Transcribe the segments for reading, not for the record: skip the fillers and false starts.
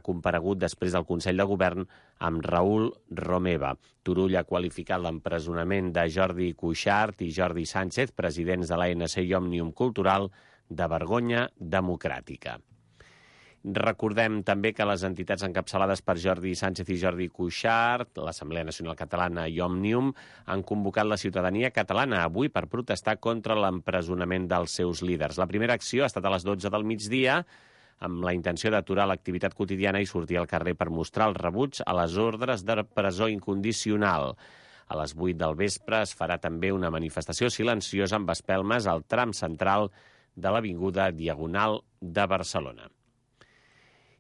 comparegut després del Consell de Govern amb Raül Romeva. Turull ha qualificat l'empresonament de Jordi Cuixart i Jordi Sánchez, presidents de l'ANC i Òmnium Cultural, de vergonya democràtica. Recordem també que les entitats encapçalades per Jordi Sánchez i Jordi Cuixart, l'Assemblea Nacional Catalana i Òmnium, han convocat la ciutadania catalana avui per protestar contra l'empresonament dels seus líders. La primera acció ha estat a les 12 del migdia, amb la intenció d'aturar l'activitat quotidiana i sortir al carrer per mostrar el rebuig a les ordres de presó incondicional. A les 8 del vespre es farà també una manifestació silenciosa amb espelmes al tram central de l'Avinguda Diagonal de Barcelona.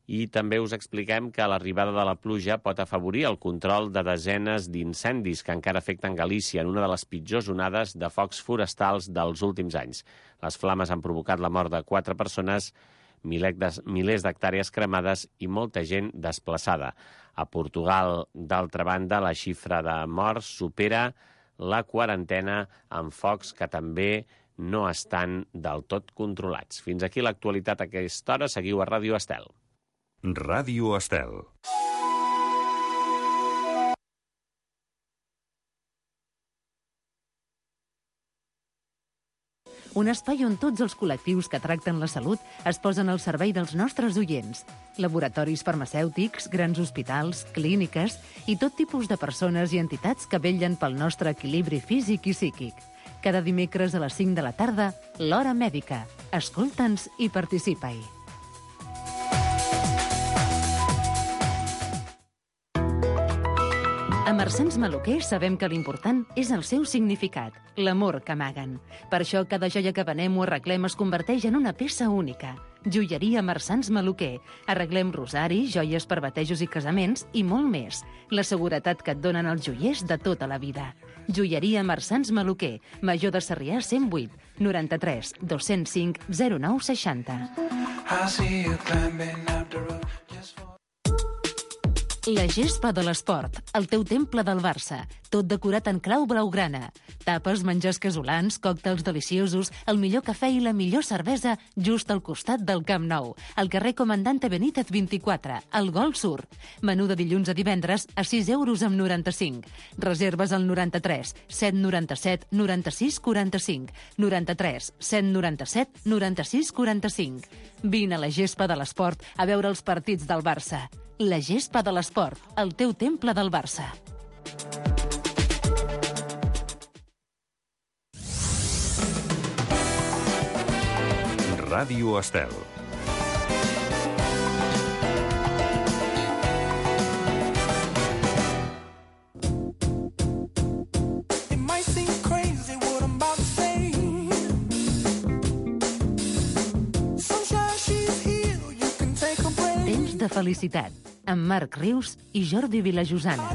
I també us expliquem que l'arribada de la pluja pot afavorir el control de desenes d'incendis que encara afecten Galícia en una de les pitjors onades de focs forestals dels últims anys. Les flames han provocat la mort de 4 persones, milers d'hectàrees cremades i molta gent desplaçada. A Portugal, d'altra banda, la xifra de morts supera la quarantena amb focs que també no estan del tot controlats. Fins aquí l'actualitat a aquesta hora. Seguiu a Ràdio Estel. Ràdio Estel. Un espai on tots els col·lectius que tracten la salut es posen al servei dels nostres oients. Laboratoris farmacèutics, grans hospitals, clíniques i tot tipus de persones i entitats que vetllen pel nostre equilibri físic i psíquic. Cada dimecres a les 5 de la tarda, l'Hora Mèdica. Escolta'ns i participa-hi. A Marsans Maluquer sabem que l'important és el seu significat, l'amor que amaguen. Per això cada joia que venem o arreglem es converteix en una peça única. Joieria Marsans Maluquer. Arreglem rosaris, joies per batejos i casaments i molt més. La seguretat que et donen els joiers de tota la vida. Joieria Marsans Maluquer. Major de Sarrià 108 93 205 09 60. La gespa de l'esport, el teu temple del Barça, tot decorat en clau blaugrana. Tapes, menjars casolans, còctels deliciosos, el millor cafè i la millor cervesa just al costat del Camp Nou, al carrer Comandante Benítez 24, al Gol Sur. Menú de dilluns a divendres a 6 euros amb 95. Reserves al 93 797 96 45, 93 797 96 45. Vine a la gespa de l'esport a veure els partits del Barça. La gespa de l'esport, el teu temple del Barça. Ràdio Estel. De felicitat, amb Marc Rius i Jordi Vilajosana.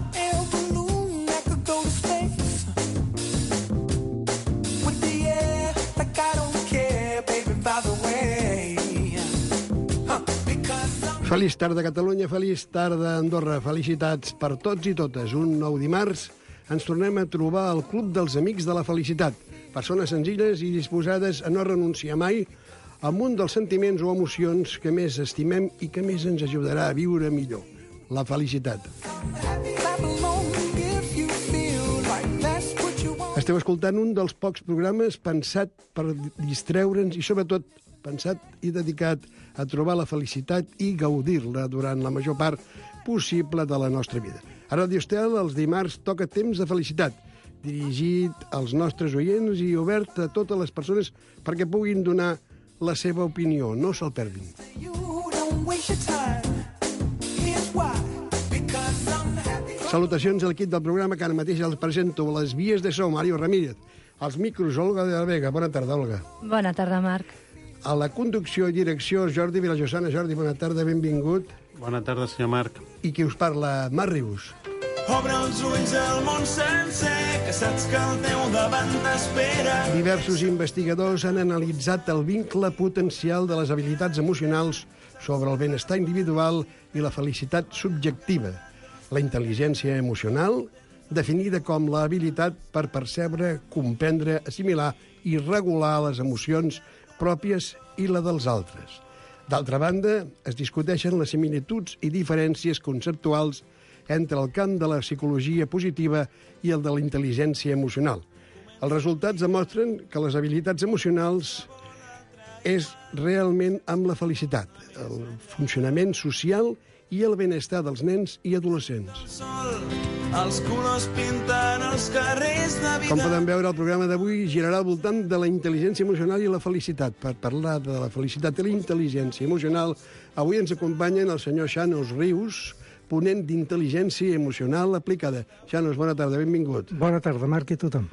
Feliç tarda, Catalunya, feliç tarda, Andorra. Felicitats per tots i totes. Un nou dimarts ens tornem a trobar al Club dels Amics de la Felicitat. Persones senzilles i disposades a no renunciar mai amb un dels sentiments o emocions que més estimem i que més ens ajudarà a viure millor, la felicitat. Esteu escoltant un dels pocs programes pensat per distreure'ns i, sobretot, pensat i dedicat a trobar la felicitat i gaudir-la durant la major part possible de la nostra vida. A Ràdio Estel, els dimarts, toca Temps de Felicitat, dirigit als nostres oients i obert a totes les persones perquè puguin donar la seva opinió. No se'l perdin. Salutacions a l'equip del programa que ara mateix els presento. A les vies de so, Mario Ramírez. Als micros, Olga de la Vega. Bona tarda, Olga. Bona tarda, Marc. A la conducció i direcció, Jordi Vilajosana. Jordi, bona tarda, benvingut. Bona tarda, senyor Marc. I qui us parla, Marc Rius. Obre els ulls al món sencer, que saps que al teu davant t'espera. Diversos investigadors han analitzat el vincle potencial de les habilitats emocionals sobre el benestar individual i la felicitat subjectiva. La intel·ligència emocional, definida com la habilitat per percebre, comprendre, assimilar i regular les emocions pròpies i la dels altres. D'altra banda, es discuteixen les similituds i diferències conceptuals entre el camp de la psicologia positiva i el de la intel·ligència emocional. Els resultats demostren que les habilitats emocionals és realment amb la felicitat, el funcionament social i el benestar dels nens i adolescents. Els colors pinten els carrers de vida. Com podem veure, el programa d'avui girarà al voltant de la intel·ligència emocional i la felicitat. Per parlar de la felicitat i la intel·ligència emocional, avui ens acompanyen el senyor Xanos Rius, ponent d'intel·ligència emocional aplicada. Xanos, bona tarda, benvingut. Bona tarda, Marc, i tothom.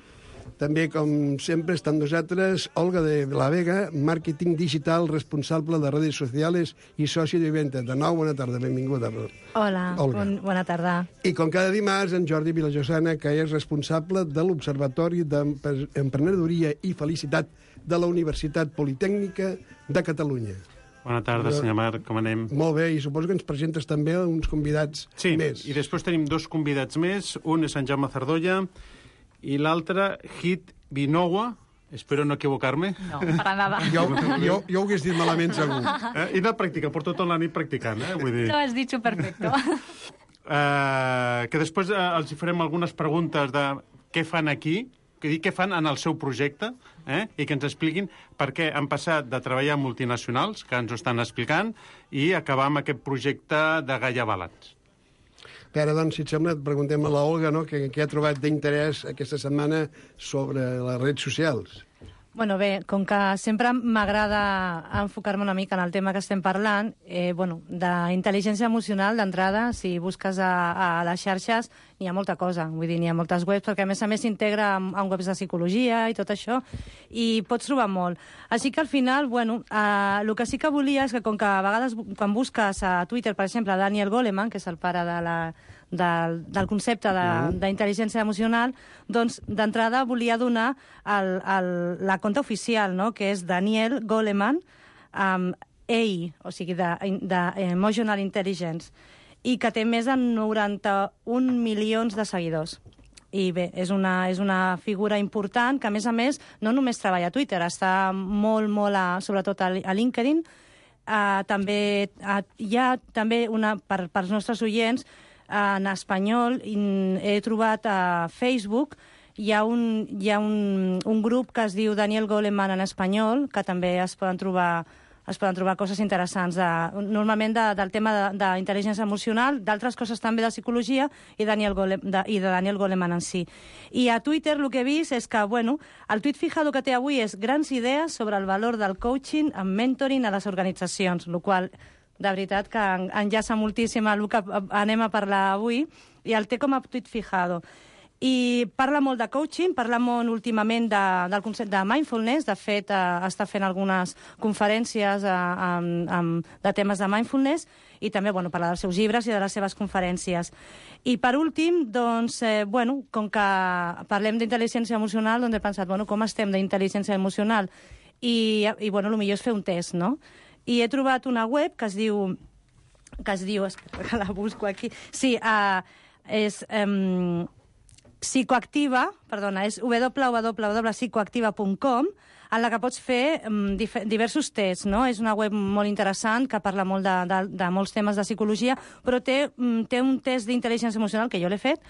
També, com sempre, està amb nosaltres Olga de la Vega, màrqueting digital, responsable de redes socials i soci de venda. De nou, bona tarda, benvinguda. Hola, Olga. Bona tarda. I com cada dimarts, en Jordi Vilajosana, que és responsable de l'Observatori d'Emprenedoria i Felicitat de la Universitat Politècnica de Catalunya. Bona tarda, senyor Marc, com anem? Molt bé, i suposo que ens presentes també uns convidats més. Sí, i després tenim dos convidats més. Un és en Jaume Zardolla i l'altre, Hit Vinowa. Espero no equivocar-me. No, para nada. Jo ho hagués dit malament, segur. He anat practicant, porto tota la nit practicant, Vull dir... Lo has dicho perfecto. Que després els farem algunes preguntes de què fan aquí, què fan en el seu projecte, i que ens expliquin per què han passat de treballar en multinacionals, que ens ho estan explicant, i acabar amb aquest projecte de Gaia Balance. Bé, ara, doncs, si et sembla, et preguntem a la Olga, no?, què ha trobat d'interès aquesta setmana sobre les redes socials. Bueno, bé, com que sempre m'agrada enfocar-me una mica en el tema que estem parlant, d'intel·ligència emocional, d'entrada, si busques a les xarxes, n'hi ha molta cosa. Vull dir, n'hi ha moltes webs, perquè a més s'integra en webs de psicologia i tot això, i pots trobar molt. Així que al final, el que sí que volia és que, com que a vegades, quan busques a Twitter, per exemple, Daniel Goleman, que és el pare del concepte d'intel·ligència emocional, doncs d'entrada volia donar la compte oficial, no?, que és Daniel Goleman, EI, o sigui, d'Emotional Intelligence, i que té més de 91 milions de seguidors. I bé, és una figura important que, a més, no només treballa a Twitter, està molt, sobretot a LinkedIn. També hi ha també pels nostres oients, en espanyol, he trobat a Facebook, hi ha un grup que es diu Daniel Goleman en espanyol, que també es poden trobar coses interessants, normalment del tema d'intel·ligència emocional, d'altres coses també de psicologia i de Daniel Goleman en si. I a Twitter el que he vist és que, el tuit fijado que té avui és grans idees sobre el valor del coaching en mentoring a les organitzacions, el qual de veritat que enllaça moltíssim el que anem a parlar avui, i el té com a tuit fijado. I parla molt de coaching, parla molt últimament del concepte de mindfulness. De fet, està fent algunes conferències de temes de mindfulness i també parla dels seus llibres i de les seves conferències. I per últim, doncs, com que parlem d'intel·ligència emocional, doncs he pensat, com estem d'intel·ligència emocional? I el millor és fer un test, no? I he trobat una web que es diu, espera que la busco aquí, sí, és psicoactiva, és www.psicoactiva.com, en la que pots fer diversos tests, no? És una web molt interessant que parla molt de molts temes de psicologia, però té un test d'intel·ligència emocional que jo l'he fet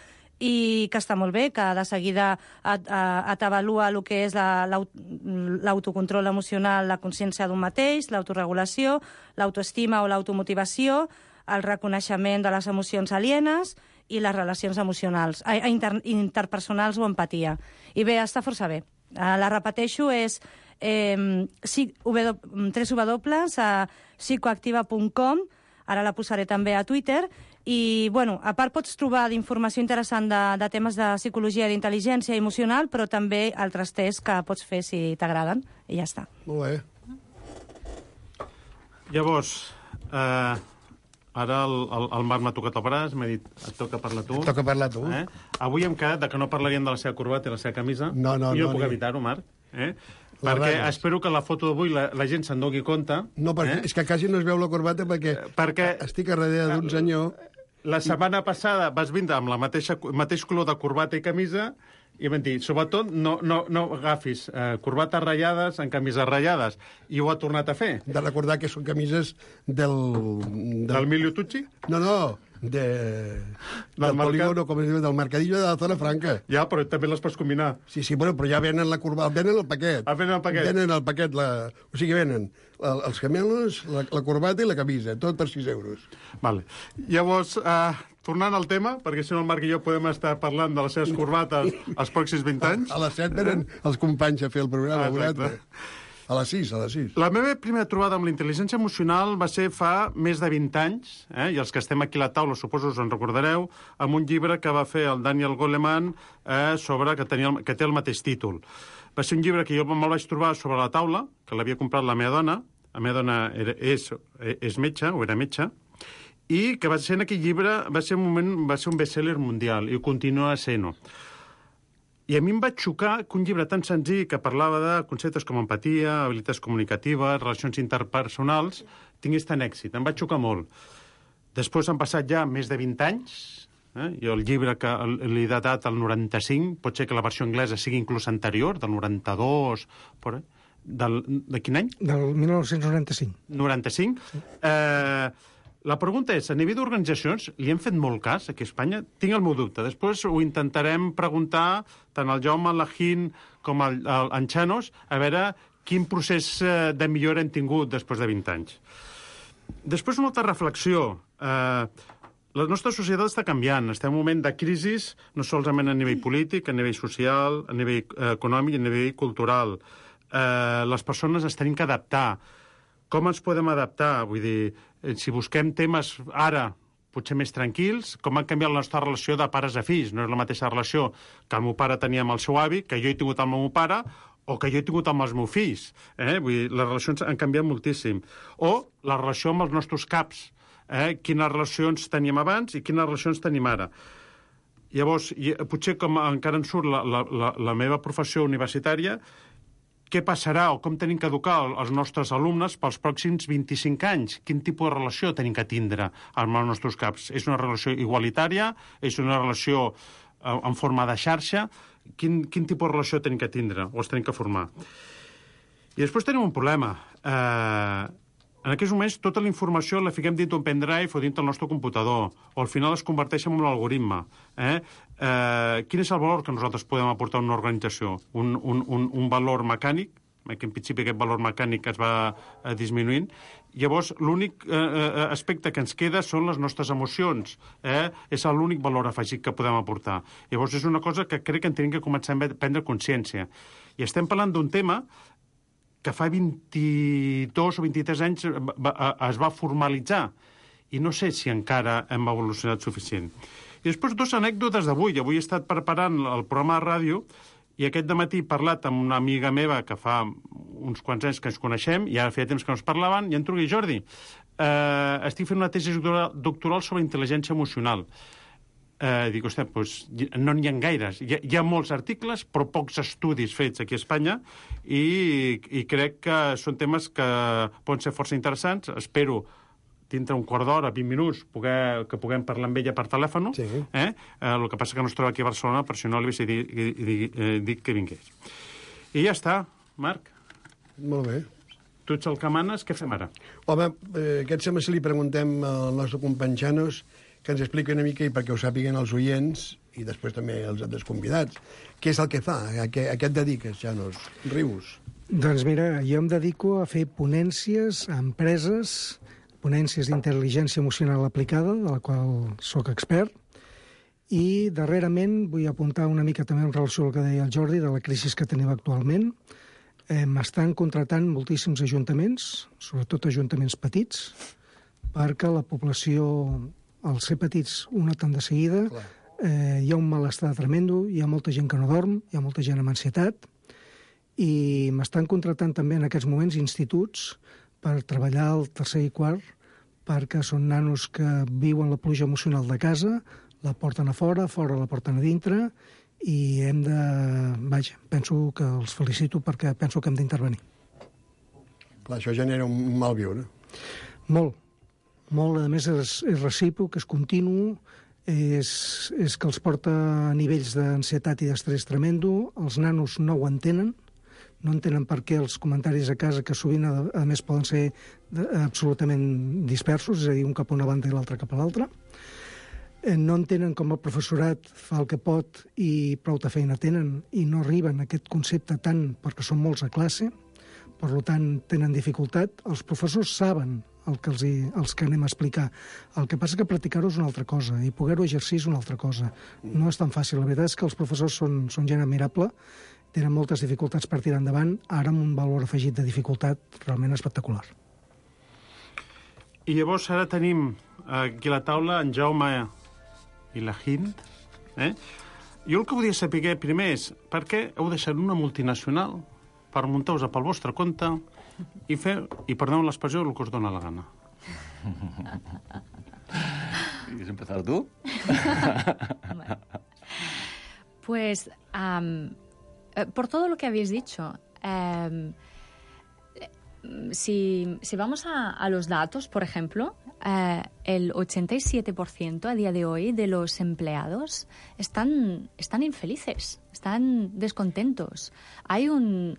i que està molt bé, que de seguida t'avalua el que és l'autocontrol emocional, la consciència d'un mateix, l'autoregulació, l'autoestima o l'automotivació, el reconeixement de les emocions alienes i les relacions emocionals, interpersonals o empatia. I bé, està força bé. La repeteixo, és www.psicoactiva.com, ara la posaré també a Twitter, i, a part pots trobar d'informació interessant de temes de psicologia i d'intel·ligència emocional, però també altres tests que pots fer si t'agraden, i ja està. Molt bé. Llavors, ara el Marc m'ha tocat el braç, m'ha dit, et toca parlar tu. Et toca parlar tu. Avui hem quedat que no parlaríem de la seva corbata i la seva camisa. No. Jo puc evitar-ho, Marc. Perquè espero que la foto d'avui la gent se'n doni compte. No, perquè és que quasi no es veu la corbata perquè estic a darrere d'un senyor. La setmana passada vas vindre amb el mateix color de corbata i camisa i vam dir, sobretot, no agafis corbates ratllades en camises ratllades. I ho ha tornat a fer. De recordar que són camises del Emilio Tucci? No, del polígono, com es diu, del mercadillo de la zona franca. Ja, però també les pots combinar. Sí, bueno, però ja venen venen el paquet. Venen el paquet. Venen el paquet, o sigui, venen els gemelos, la corbata i la camisa, tot per 6 euros. Vale. Llavors, tornant al tema, perquè si no el Marc i jo podem estar parlant de les seves corbates els pròxims 20 anys. A les 7 venen els companys a fer el programa. Exacte. A les 6. La meva primera trobada amb la intel·ligència emocional va ser fa més de 20 anys, i els que estem aquí a la taula, suposo us en recordareu, amb un llibre que va fer el Daniel Goleman sobre que té el mateix títol. Va ser un llibre que jo me'l vaig trobar sobre la taula, que l'havia comprat la meva dona. La meva dona és metge, o era metge, i que va ser en aquell llibre, va ser un best-seller mundial, i ho continua sent-ho. I a mi em va xocar que un llibre tan senzill que parlava de conceptes com empatia, habilitats comunicatives, relacions interpersonals, tingués tant èxit. Em va xocar molt. Després han passat ja més de 20 anys. Jo el llibre que l'he datat al 95, pot ser que la versió anglesa sigui inclús anterior, del 92... De quin any? Del 1995. 95. Sí. La pregunta és, a nivell d'organitzacions, li hem fet molt cas aquí a Espanya? Tinc el meu dubte. Després ho intentarem preguntar tant al Jaume, l'Ajín, com al Chanos, a veure quin procés de millora hem tingut després de 20 anys. Després una altra reflexió. La nostra societat està canviant. Estem en un moment de crisi, no solament a nivell polític, a nivell social, a nivell econòmic i a nivell cultural. Les persones es tenim que adaptar. Com ens podem adaptar? Vull dir, si busquem temes ara potser més tranquils, com ha canviat la nostra relació de pares a fills. No és la mateixa relació que el meu pare tenia amb el seu avi, que jo he tingut amb el meu pare, o que jo he tingut amb els meus fills. Vull dir, les relacions han canviat moltíssim. O la relació amb els nostres caps. Quines relacions teníem abans i quines relacions tenim ara. Llavors, potser com encara en surt la meva professió universitària, què passarà o com tenim que educar els nostres alumnes pels pròxims 25 anys? Quin tipus de relació tenim que tindre amb els nostres caps? És una relació igualitària? És una relació en forma de xarxa? Quin tipus de relació tenim que tindre o els tenim que formar? I després tenim un problema. En aquests moments tota la informació la fiquem dins d'un pendrive o dins del nostre computador, o al final es converteix en un algoritme. Quin és el valor que nosaltres podem aportar a una organització? Un valor mecànic, que en principi aquest valor mecànic es va disminuint. Llavors, l'únic aspecte que ens queda són les nostres emocions. És l'únic valor afegit que podem aportar. Llavors, és una cosa que crec que en tenim que començar a prendre consciència. I estem parlant d'un tema que fa 22 o 23 anys es va formalitzar. I no sé si encara hem evolucionat suficient. I després 2 anècdotes d'avui. Avui he estat preparant el programa de ràdio i aquest dematí he parlat amb una amiga meva que fa uns quants anys que ens coneixem i ara feia temps que no ens parlaven i em truca Jordi. Estic fent una tesi doctoral sobre intel·ligència emocional. Dic, ostres, doncs no n'hi ha gaires. Hi ha molts articles, però pocs estudis fets aquí a Espanya i crec que són temes que poden ser força interessants. Espero dintre un quart d'hora, 20 minuts, que puguem parlar amb ella per telèfon. Sí. El que passa que no es troba aquí a Barcelona, per si no li dic que vingués. I ja està, Marc. Molt bé. Tu ets el que manes, què fem ara? Home, aquest sembla si li preguntem al nostre company Chanos que ens expliqui una mica, i perquè ho sàpiguen els oients, i després també els altres convidats, què és el que fa, a què et dediques, Chanos? Rius. Doncs mira, jo em dedico a fer ponències a empreses, ponències d'intel·ligència emocional aplicada, de la qual sóc expert, i darrerament vull apuntar una mica també en relació al que deia el Jordi, de la crisi que tenim actualment. M'estan contratant moltíssims ajuntaments, sobretot ajuntaments petits, perquè la població, al ser petits, ho noten de seguida, hi ha un malestar tremendo, hi ha molta gent que no dorm, hi ha molta gent amb ansietat, i m'estan contratant també en aquests moments instituts per treballar al tercer i quart, perquè són nanos que viuen la pluja emocional de casa, la porten a fora la porten a dintre, i hem de... Vaja, penso que els felicito perquè penso que hem d'intervenir. Clar, això genera un mal viure. Molt, a més és recíproc, és continu, és que els porta a nivells d'ansietat i d'estrès tremendo, els nanos no ho entenen, no entenen per què els comentaris a casa, que sovint, a més, poden ser absolutament dispersos, és a dir, un cap a una banda i l'altre cap a l'altra. No entenen com el professorat fa el que pot i prou de feina tenen i no arriben a aquest concepte tant perquè són molts a classe, per tant tenen dificultat. Els professors saben el que els que anem a explicar. El que passa és que practicar-ho és una altra cosa i poder-ho exercir és una altra cosa. No és tan fàcil. La veritat és que els professors són gent admirable, tenen moltes dificultats per tirar endavant, ara amb un valor afegit de dificultat realment espectacular. I llavors ara tenim aquí a la taula en Jaume i la Hind. Jo el que volia saber primer és per què heu deixat una multinacional per muntar-vos pel vostre compte i fer, i perdoneu l'expressió, el que us dona la gana. ¿Quieres empezar tú? Pues, por todo lo que habéis dicho, si vamos a los datos, por ejemplo, el 87% a día de hoy de los empleados están infelices, están descontentos. Hay un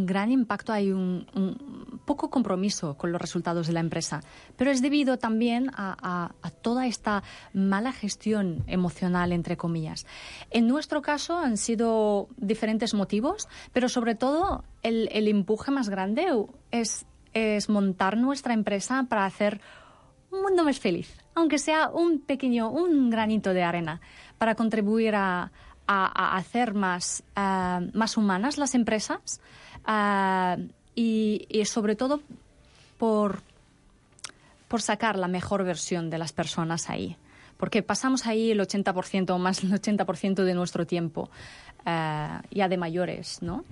gran impacto, hay un poco compromiso con los resultados de la empresa, pero es debido también a toda esta mala gestión emocional, entre comillas. En nuestro caso han sido diferentes motivos, pero sobre todo el empuje más grande es montar nuestra empresa para hacer un mundo más feliz, aunque sea un granito de arena, para contribuir a hacer más humanas las empresas y sobre todo por sacar la mejor versión de las personas ahí. Porque pasamos ahí el 80% o más del 80% de nuestro tiempo, ya de mayores, ¿no?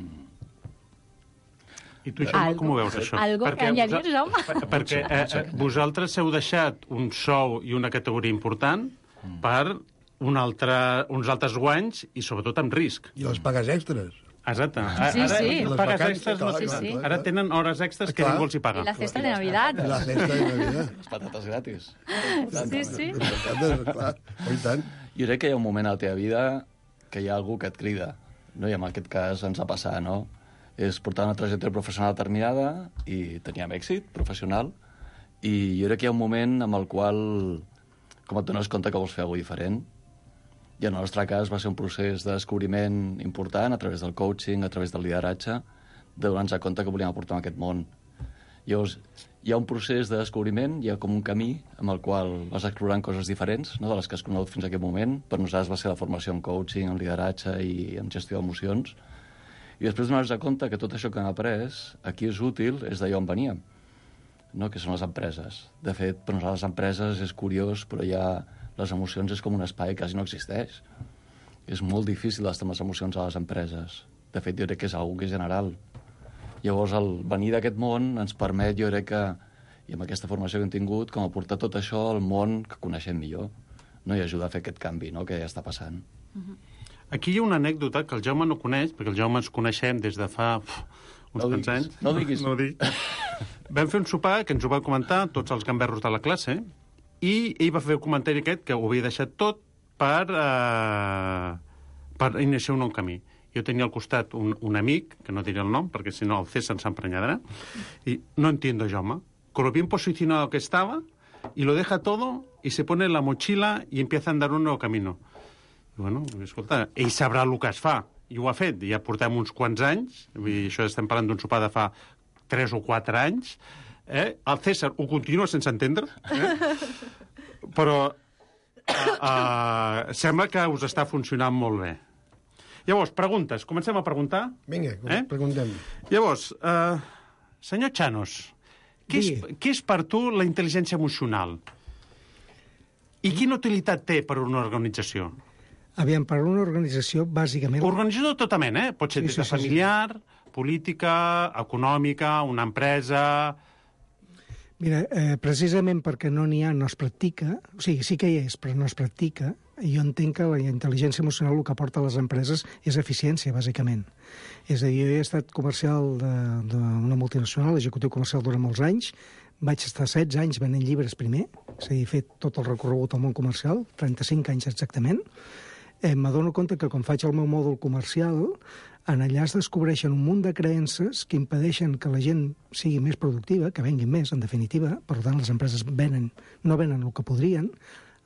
I tu, Jaume, com ho veus, això? Algo que añadir, Jaume? Perquè vosaltres heu deixat un sou i una categoria important per uns altres guanys i, sobretot, amb risc. I les pagues extres. Exacte. Sí. Pagues extres, sí. Ara tenen hores extres que ningú els hi paga. I la cesta de Navidad. La cesta de Navidad. Les patates gratis. Sí. Les patates, clar. I tant. Jo crec que hi ha un moment a la teva vida que hi ha algú que et crida. No? I en aquest cas ens ha passat, no? És portar una trajectòria professional determinada i teníem èxit professional i jo crec que hi ha un moment amb el qual com et dones compte que vols fer alguna cosa diferent i en el nostre cas va ser un procés de descobriment important a través del coaching, a través del lideratge, de donar-nos compte que volíem aportar en aquest món. Llavors, hi ha un procés de descobriment, hi ha com un camí amb el qual vas explorant coses diferents, no, de les que has conegut fins a aquest moment. Per nosaltres va ser la formació en coaching, en lideratge i en gestió d'emocions. I després donar-nos compte que tot això que hem après aquí és útil, és d'allò on veníem, no? Que són les empreses. De fet, per nosaltres les empreses és curiós, però ja les emocions és com un espai que quasi no existeix. És molt difícil estar amb les emocions a les empreses. De fet, jo crec que és una cosa general. Llavors, el venir d'aquest món ens permet, jo crec que, i amb aquesta formació que hem tingut, com aportar tot això al món que coneixem millor, no? I ajudar a fer aquest canvi, no? Que ja està passant. Aquí hi ha una anècdota que el Jaume no coneix, perquè el Jaume ens coneixem des de fa uns quants anys. No diguis. No ho dic. Vam fer un sopar que ens ho va comentar tots els gamberros de la classe i ell va fer el comentari aquest que ho havia deixat tot per iniciar un nou camí. Jo tenia al costat un amic, que no diré el nom, perquè si no el César s'emprenyarà, y no entiendo, Jaume, con lo bien posicionado que estaba, y lo deja todo, y se pone la mochila y empieza a andar un nuevo camino. I bueno, escolta, ell sabrà el que es fa, i ho ha fet, ja portem uns quants anys, i això estem parlant d'un sopar de fa 3 o 4 anys, el César ho continua sense entendre, però sembla que us està funcionant molt bé. Llavors, preguntes. Comencem a preguntar? Vinga, preguntem. Llavors, senyor Chanos, què és per tu la intel·ligència emocional? I quina utilitat té per una organització? Aviam, per una organització, bàsicament... Organització de tota mena, Pot ser des de familiar, política, econòmica, una empresa... Mira, precisament perquè no n'hi ha, no es practica, o sigui, sí que hi és, però no es practica, jo entenc que la intel·ligència emocional el que aporta a les empreses és eficiència, bàsicament. És a dir, jo he estat comercial d'una multinacional, executiu comercial durant molts anys, Vaig estar 16 anys venent llibres primer, és a dir, he fet tot el recorregut al món comercial, 35 anys exactament. M'adono compte que quan faig el meu mòdul comercial, en allà es descobreixen un munt de creences que impedeixen que la gent sigui més productiva, que venguin més, en definitiva. Per tant, les empreses no venen el que podrien,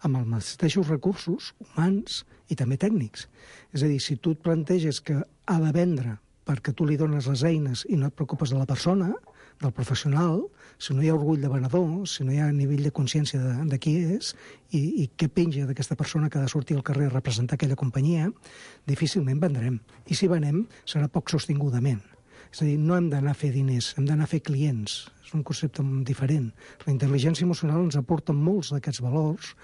amb els mateixos recursos humans i també tècnics. És a dir, si tu et planteges que ha de vendre perquè tu li dones les eines i no et preocupes de la persona, del professional, si no hi ha orgull de venedor, si no hi ha nivell de consciència de qui és i què penja d'aquesta persona que ha de sortir al carrer a representar aquella companyia, difícilment vendrem. I si venem, serà poc sostingudament. És a dir, no hem d'anar a fer diners, hem d'anar a fer clients. És un concepte diferent. La intel·ligència emocional ens aporta molts d'aquests valors,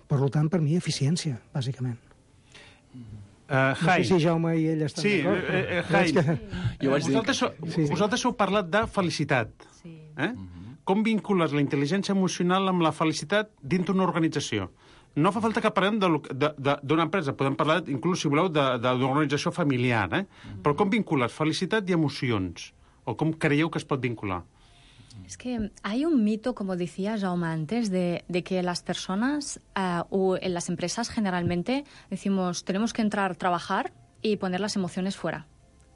per tant, per mi, eficiència, bàsicament. No sé si Jaume i ell estan d'acord. Vosaltres heu parlat de felicitat. Com vincules la intel·ligència emocional amb la felicitat dins d'una organització? No fa falta que parlem d'una empresa, podem parlar, inclús, si voleu, d'una organització familiar, però com vincules felicitat i emocions? O com creieu que es pot vincular? Es que hay un mito, como decía Jaume antes, de que las personas o en las empresas generalmente decimos tenemos que entrar, trabajar y poner las emociones fuera,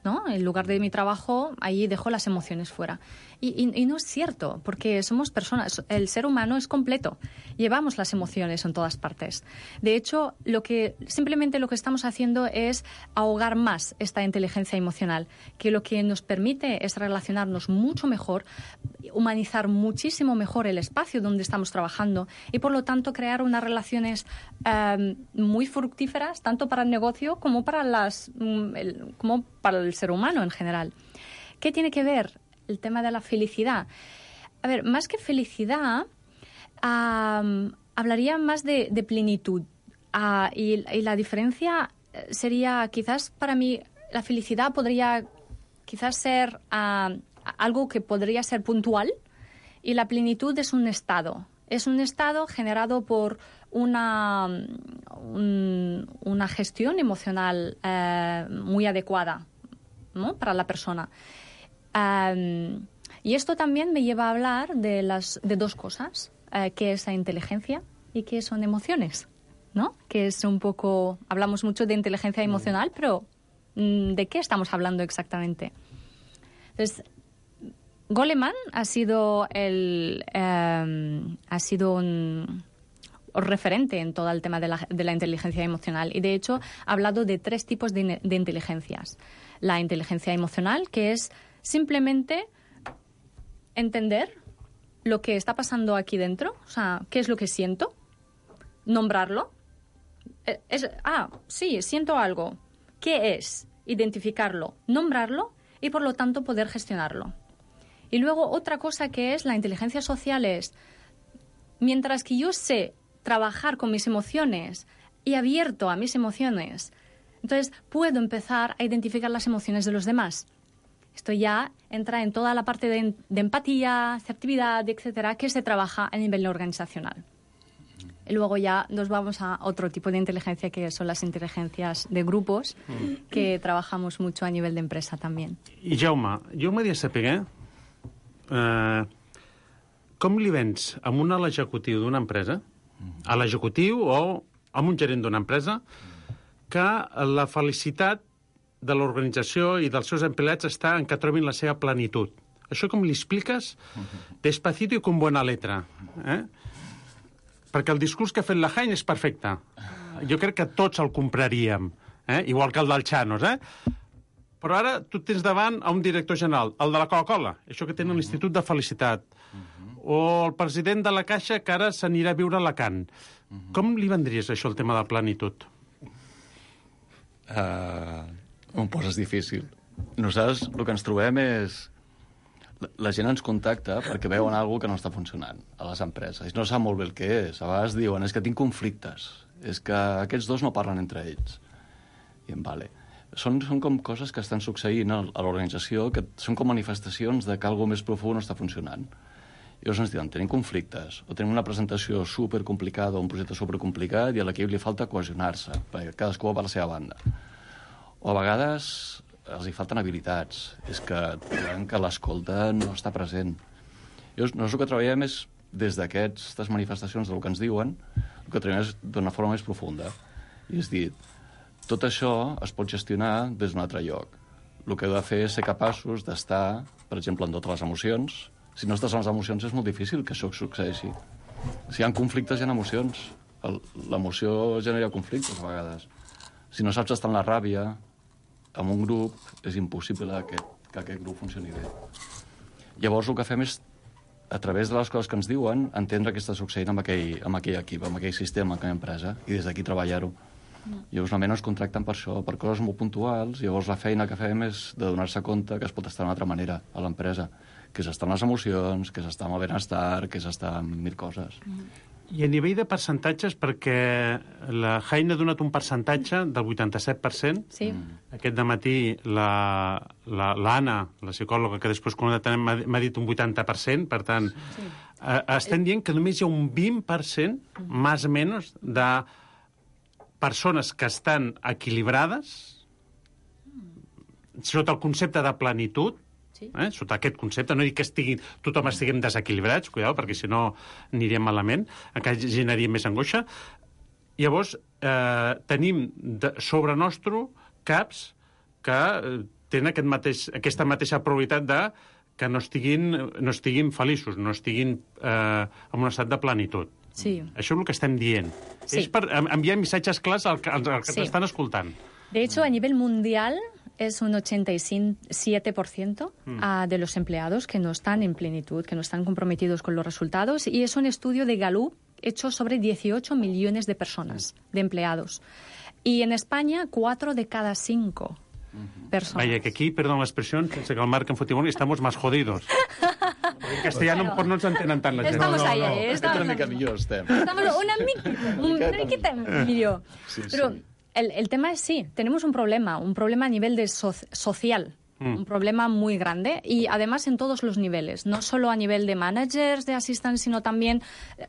¿no? En lugar de mi trabajo, ahí dejo las emociones fuera. Y no es cierto, porque somos personas, el ser humano es completo, llevamos las emociones en todas partes. De hecho, simplemente lo que estamos haciendo es ahogar más esta inteligencia emocional, que lo que nos permite es relacionarnos mucho mejor, humanizar muchísimo mejor el espacio donde estamos trabajando y, por lo tanto, crear unas relaciones muy fructíferas, tanto para el negocio como para el ser humano en general. ¿Qué tiene que ver el tema de la felicidad? A ver, más que felicidad, hablaría más de plenitud. Y la diferencia sería, quizás para mí, la felicidad podría quizás ser algo que podría ser puntual, y la plenitud es un estado. Es un estado generado por una gestión emocional muy adecuada, ¿no?, para la persona. Y esto también me lleva a hablar de dos cosas, que es la inteligencia y que son emociones, ¿no? Que es un poco... Hablamos mucho de inteligencia emocional, pero ¿de qué estamos hablando exactamente? Entonces, Goleman ha sido un referente en todo el tema de la inteligencia emocional, y de hecho ha hablado de 3 tipos de inteligencias. La inteligencia emocional, que es simplemente entender lo que está pasando aquí dentro, o sea, qué es lo que siento, nombrarlo. Sí, siento algo. ¿Qué es? Identificarlo, nombrarlo y, por lo tanto, poder gestionarlo. Y luego otra cosa que es la inteligencia social es, mientras que yo sé trabajar con mis emociones y abierto a mis emociones, entonces puedo empezar a identificar las emociones de los demás. Esto ya entra en toda la parte de empatía, asertividad, etcétera, que se trabaja a nivel organizacional. Y luego ya nos vamos a otro tipo de inteligencia, que son las inteligencias de grupos, que trabajamos mucho a nivel de empresa también. I Jaume, jo m'hauria de saber com li vens amb un alt executiu d'una empresa, a l'executiu o amb un gerent d'una empresa, que la felicitat de l'organització i dels seus empleats està en que trobin la seva plenitud. Això com li expliques? Despacito i con buena letra. Perquè el discurs que ha fet la Heinz és perfecte. Jo crec que tots el compraríem, igual que el del Chanos. Però ara tu tens davant a un director general, el de la Coca-Cola, això que tenen l'Institut de Felicitat, o el president de la Caixa, que ara s'anirà a viure a Alacant. Com li vendries això, el tema de la plenitud? M'ho poses difícil. Nosaltres el que ens trobem és... La gent ens contacta perquè veuen alguna que no està funcionant a les empreses. I no sap molt bé el que és. A vegades diuen, és que tinc conflictes. És que aquests dos no parlen entre ells. I vale. Són com coses que estan succeint a l'organització, que són com manifestacions de que alguna més profund no està funcionant. I llavors ens diuen, tenim conflictes, o tenim una presentació supercomplicada o un projecte supercomplicat i a l'equip li falta cohesionar-se, perquè cadascú va per la seva banda. O a vegades els hi falten habilitats, és que trobem que l'escolta no està present. Nosaltres el que treballem és, des d'aquestes manifestacions del que ens diuen, el que treballem és d'una forma més profunda. I és dir, tot això es pot gestionar des d'un altre lloc. El que heu de fer és ser capaços d'estar, per exemple, en totes les emocions. Si no estàs en les emocions és molt difícil que això succeeixi. Si hi ha conflictes, hi ha emocions. L'emoció genera conflictes, a vegades. Si no saps estar en la ràbia, en un grup, és impossible que aquest grup funcioni bé. Llavors, el que fem és, a través de les coses que ens diuen, entendre què està succeint amb aquell equip, amb aquell sistema, amb aquella empresa, i des d'aquí treballar-ho. Llavors, normalment ens contracten per això, per coses molt puntuals, llavors la feina que fem és de donar-se compte que es pot estar d'una altra manera a l'empresa, que és estar en les emocions, que és estar amb el benestar, que és estar amb mil coses. I a nivell de percentatges, perquè la Heine ha donat un percentatge del 87%. Sí. Aquest dematí l'Anna, la psicòloga, que després m'ha dit un 80%, per tant, estem dient que només hi ha un 20%, més o menys, de persones que estan equilibrades sota el concepte de plenitud, sota aquest concepte, no dic que tothom estiguem desequilibrats, cuidao, perquè si no aniríem malament, encara generaria més angoixa. Llavors, tenim sobre nostre caps que tenen aquesta mateixa probabilitat de que no estiguin feliços, no estiguin en un estat de plenitud. Sí. Això és el que estem dient. Sí. És per enviar missatges clars als que t'estan escoltant. De hecho, a nivel mundial es un 87% de los empleados que no están en plenitud, que no están comprometidos con los resultados, y es un estudio de Gallup hecho sobre 18 millones de personas, de empleados. Y en España, 4 de cada 5 personas. Vaya, que aquí, perdón la expresión, sense que el Marc en fotimón, estamos más jodidos. En castellano no ens entenen tant la gent. Estamos ahí, Una mica millor estem. Estamos una miqueta millor. Sí, Pero el tema es sí, tenemos un problema a nivel de social. Un problema muy grande y además en todos los niveles, no solo a nivel de managers, de assistants, sino también,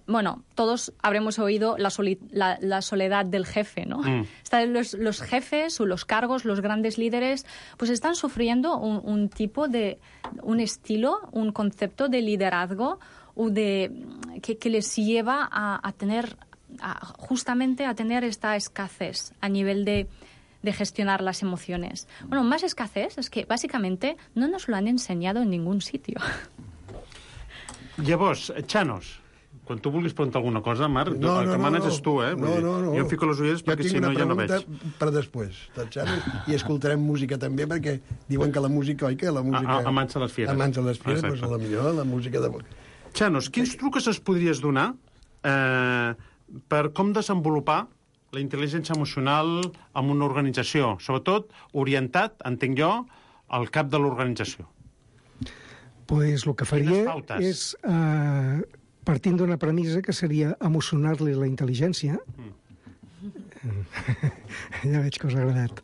bueno, todos habremos oído la soledad del jefe, ¿no? Están los jefes o los cargos, los grandes líderes, pues están sufriendo un tipo de, un estilo, un concepto de liderazgo o que les lleva a tener, justamente a tener esta escasez a nivel de gestionar las emociones. Bueno, más escasez es que básicamente no nos lo han enseñado en ningún sitio. Llavors, Chanos, quan tu vulguis preguntar alguna cosa, Marc, el que manes és tu, eh? No. Jo em fico les ulleres perquè si no ja no veig. Jo tinc una pregunta per després, del Chanos, i escoltarem música també, perquè diuen que la música, oi que la música... Amansa les fieres. Amansa les fieres, doncs a la millor la música de... Chanos, quins trucs es podries donar per com desenvolupar la intel·ligència emocional en una organització, sobretot orientat, entenc jo, al cap de l'organització? Pues el que faria és, partint d'una premissa que seria emocionar-li la intel·ligència. Ja veig que us ha agradat.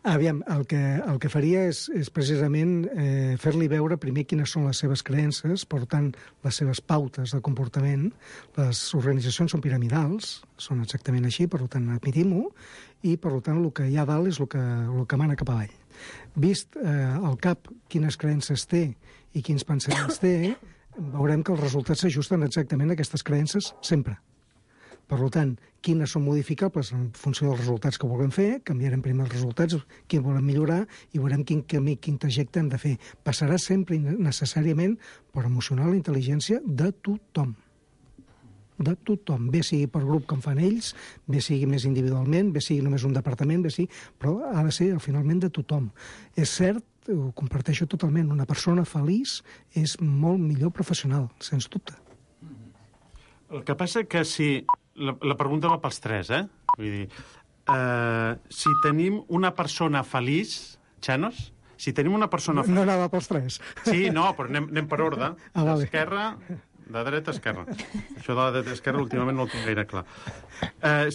Aviam, el que faria és precisament fer-li veure primer quines són les seves creences, per tant, les seves pautes de comportament. Les organitzacions són piramidals, són exactament així, per tant, admitim-ho, i per tant, el que hi ha dalt és el que mana cap avall. Vist al cap quines creences té i quins pensaments té, veurem que els resultats s'ajusten exactament a aquestes creences sempre. Per tant, quines són modificables en funció dels resultats que vulguem fer, canviarem primer els resultats, quin volem millorar, i veurem quin camí, quin trajecte hem de fer. Passarà sempre necessàriament per emocionar la intel·ligència de tothom. De tothom. Bé sigui per grup com fan ells, bé sigui més individualment, bé sigui només un departament, però ha de ser finalment de tothom. És cert, ho comparteixo totalment, una persona feliç és molt millor professional, sens dubte. El que passa que si... La pregunta va pels tres, eh? Vull dir, si tenim una persona feliç, Chanos, si tenim una persona feliç... No anava pels tres. Sí, no, però anem per ordre. Vale. D'esquerra, de dreta a esquerra. Això de la dreta a esquerra últimament no ho tinc gaire clar.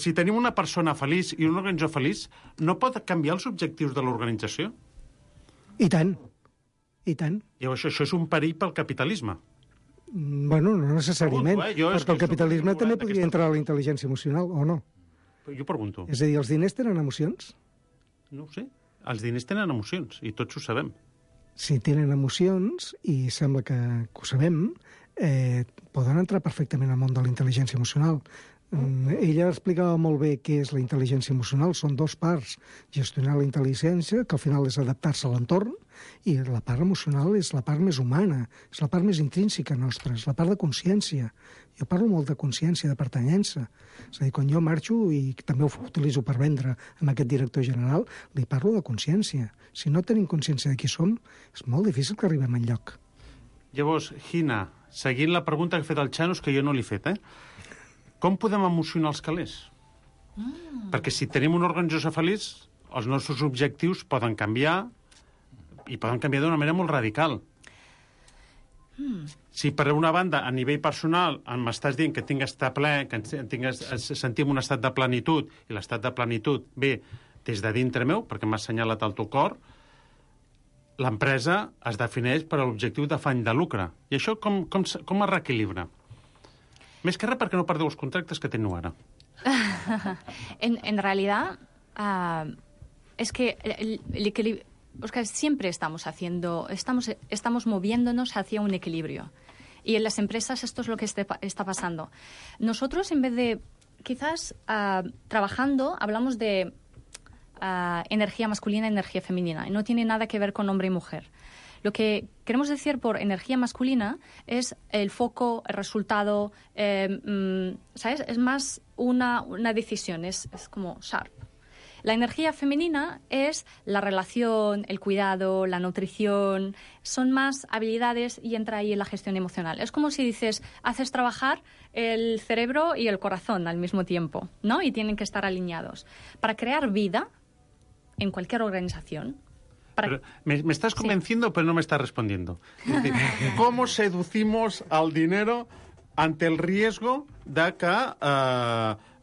Si tenim una persona feliç i una organització feliç, no pot canviar els objectius de l'organització? I tant. I tant. Llavors, això és un perill pel capitalisme. Bueno, no necessàriament, perquè el capitalisme també podria entrar a la intel·ligència emocional, o no? Jo pregunto. És a dir, els diners tenen emocions? No ho sé. Els diners tenen emocions, i tots ho sabem. si tenen emocions, i sembla que ho sabem, poden entrar perfectament al món de la intel·ligència emocional. Ella explicava molt bé què és la intel·ligència emocional. Són dos parts. Gestionar la intel·ligència, que al final és adaptar-se a l'entorn, i la part emocional és la part més humana, és la part més intrínseca nostra, és la part de consciència. Jo parlo molt de consciència, de pertanyença. És a dir, quan jo marxo, i també ho utilitzo per vendre amb aquest director general, li parlo de consciència. Si no tenim consciència de qui som, és molt difícil que arribem enlloc. Llavors, Gina, seguint la pregunta que ha fet el Xanos, que jo no l'he fet, com podem emocionar els calés? Perquè si tenim una organització feliç, els nostres objectius poden canviar, i poden canviar d'una manera molt radical. Si per una banda, a nivell personal, m'estàs dient que tinc estar ple, que sentim un estat de plenitud, i l'estat de plenitud ve des de dintre meu, perquè m'ha assenyalat el teu cor, l'empresa es defineix per l'objectiu d'afany de lucre. I això com es reequilibra? Més que res perquè no perdeu els contractes que teniu ara. En realidad, es que el equilibrio... O sea, siempre estamos moviéndonos hacia un equilibrio. Y en las empresas esto es lo que está pasando. Nosotros, en vez de, quizás, trabajando, hablamos de energía masculina y energía femenina. Y no tiene nada que ver con hombre y mujer. Lo que queremos decir por energía masculina es el foco, el resultado, ¿sabes? Es más una decisión, es como sharp. La energía femenina es la relación, el cuidado, la nutrición, son más habilidades y entra ahí en la gestión emocional. Es como si dices, haces trabajar el cerebro y el corazón al mismo tiempo, ¿no? Y tienen que estar alineados. Para crear vida en cualquier organización. Pero me estás convenciendo, sí, pero no me estás respondiendo. Es decir, ¿cómo seducimos al dinero ante el riesgo de que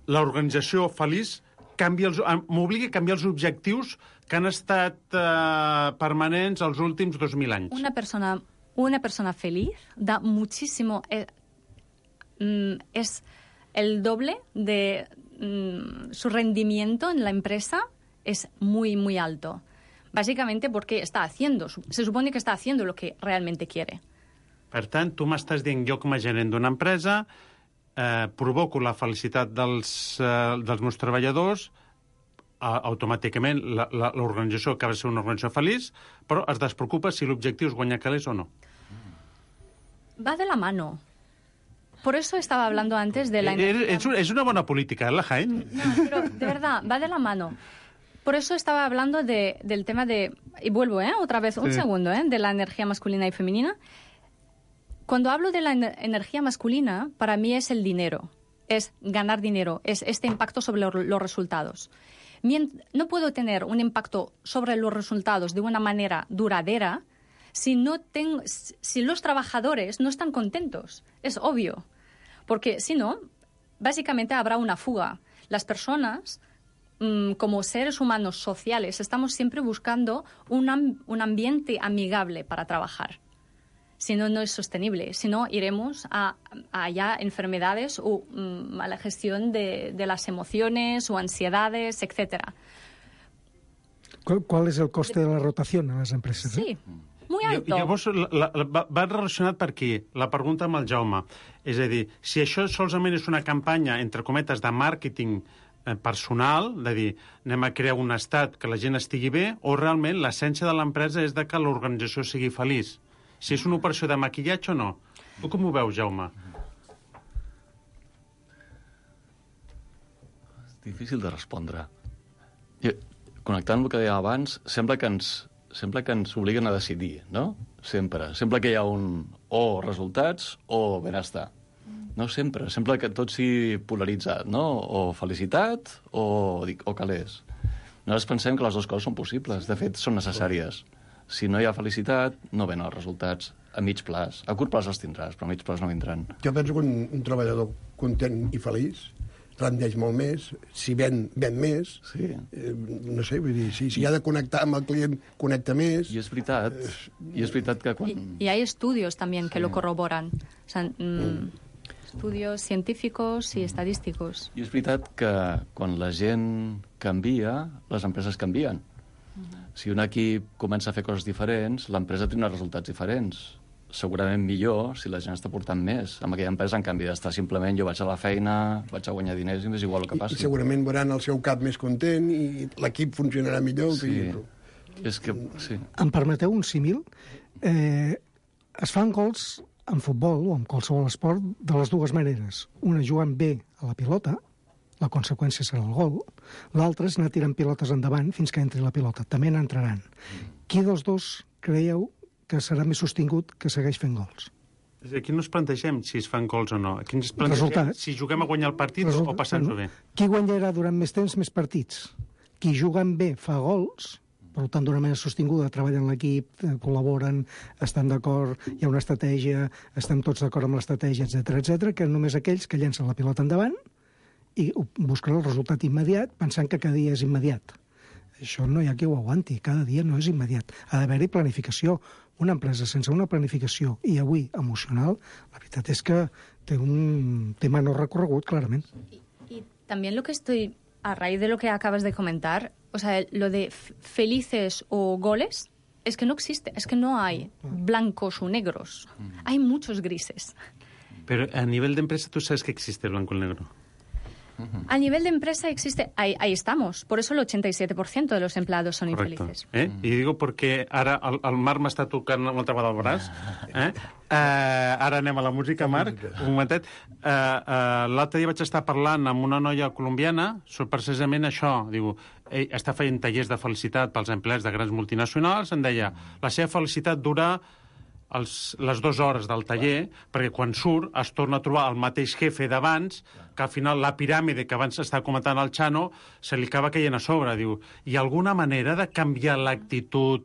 l'organització feliç m'obligui a canviar els objectius que han estat permanents els últims 2.000 anys? Una persona feliz da muchísimo... es el doble de su rendimiento en la empresa, es muy, muy alto. Básicamente porque se supone que está haciendo lo que realmente quiere. Per tant, tu m'estàs dient, jo com a gerent d'una empresa provoco la felicitat dels meus treballadors, automàticament l'organització acaba de ser una organització feliç, però es despreocupa si l'objectiu és guanyar calés o no. Va de la mano. Por eso estaba hablando antes de la... Es una buena política, la Jaén. No, pero de verdad, va de la mano. Por eso estaba hablando del tema de... Y vuelvo, otra vez, un segundo, de la energía masculina y femenina. Cuando hablo de la energía masculina, para mí es el dinero, es ganar dinero, es este impacto sobre los resultados. No puedo tener un impacto sobre los resultados de una manera duradera si los trabajadores no están contentos. Es obvio. Porque si no, básicamente habrá una fuga. Las personas, como seres humanos sociales, estamos siempre buscando un ambiente amigable para trabajar. Si no, no es sostenible. Si no, iremos a ya enfermedades o mala gestión de las emociones o ansiedades, etc. ¿Cuál es el coste de la rotación en las empresas? Sí, muy alto. Llavors, va relacionat per aquí, la pregunta amb el Jaume. És a dir, si això solament és una campanya, entre cometes, de màrqueting personal, de dir, anem a crear un estat que la gent estigui bé, o realment l'essència de l'empresa és de que l'organització sigui feliç? Si és una operació de maquillatge o no? Tu com ho veus, Jaume? És difícil de respondre. Connectant amb el que deia abans, sembla que ens obliguen a decidir, no? Sempre. Sembla que hi ha o resultats o benestar. No sempre. Sembla que tot sigui polaritzat, no? O felicitat o calés. Nosaltres pensem que les dues coses són possibles. De fet, són necessàries. Si no hi ha felicitat, no venen els resultats a mig plaç. A curt plaç els tindràs, però a mig plaç no vindran. Jo penso que un treballador content i feliç rendeix molt més, si ven més. Sí. No sé, vull dir, si ha de connectar amb el client, connecta més. I és veritat que quan... Y hay estudios también que lo corroboran. O sea, estudios científicos y estadísticos. I és veritat que quan la gent canvia, les empreses canvien. Si un equip comença a fer coses diferents, l'empresa tindrà resultats diferents. Segurament millor si la gent està portant més. Amb aquella empresa, en canvi, d'estar simplement jo vaig a la feina, vaig a guanyar diners i m'és igual el que passi. I segurament veuran el seu cap més content i l'equip funcionarà millor. Sí, és que... Sí. Em permeteu un símil? Es fan gols en futbol o en qualsevol esport de les dues maneres. Una jugant bé a la pilota, la conseqüència serà el gol. L'altra és anar tirant pilotes endavant fins que entri la pilota. També n'entraran. Qui dels dos creieu que serà més sostingut que segueix fent gols? Aquí no ens plantegem si es fan gols o no. Aquí ens plantegem si juguem a guanyar el partit o passant-ho bé. Qui guanyarà durant més temps més partits? Qui jugant bé fa gols, per tant, d'una manera sostinguda, treballen l'equip, col·laboren, estan d'acord, hi ha una estratègia, estem tots d'acord amb l'estratègia, etc, que només aquells que llencen la pilota endavant i busquen el resultat immediat pensant que cada dia és immediat. Això no hi ha qui ho aguanti, cada dia no és immediat. Ha d'haver-hi planificació. Una empresa sense una planificació, y avui emocional, la veritat és que té un tema no recorregut, clarament. Y también lo que estoy, a raíz de lo que acabas de comentar, o sea, lo de felices o goles, es que no existe, es que no hay blancos o negros, hay muchos grises. Pero a nivel de empresa, ¿tú sabes que existe el blanco y el negro? A nivel de empresa existe, ahí estamos. Por eso el 87% de los empleados son infelices. I digo perquè ara el Marc m'està tocant una altra vegada el braç. Ara anem a la música, Marc. Un momentet. L'altre dia vaig estar parlant amb una noia colombiana sobre precisament això. Diu, ell està fent tallers de felicitat pels empleats de grans multinacionals. Em deia, la seva felicitat dura les 2 hores del taller, perquè quan surt es torna a trobar el mateix jefe d'abans, que al final la piràmide que abans estava comentant el Chano se li acaba caient a sobre. Diu, hi ha alguna manera de canviar l'actitud,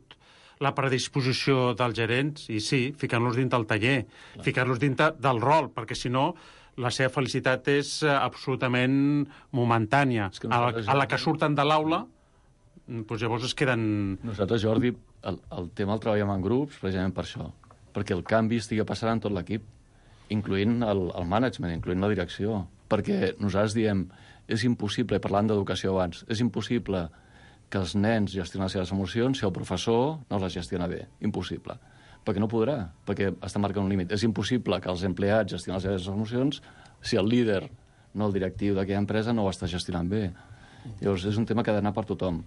la predisposició dels gerents? I sí, ficant-los dins del taller, ficant-los dins del rol, perquè si no la seva felicitat és absolutament momentània. A la que surten de l'aula, doncs llavors es queden... Nosaltres, Jordi, el tema el treballem en grups precisament per això, perquè el canvi estigui passant en tot l'equip, incloent el management, incloent la direcció. Perquè nosaltres diem, és impossible, parlant d'educació abans, és impossible que els nens gestionen les seves emocions si el professor no les gestiona bé. Impossible. Perquè no podrà, perquè està marcant un límit. És impossible que els empleats gestionen les seves emocions si el líder, no el directiu d'aquella empresa, no ho està gestionant bé. Llavors, és un tema que ha d'anar per tothom.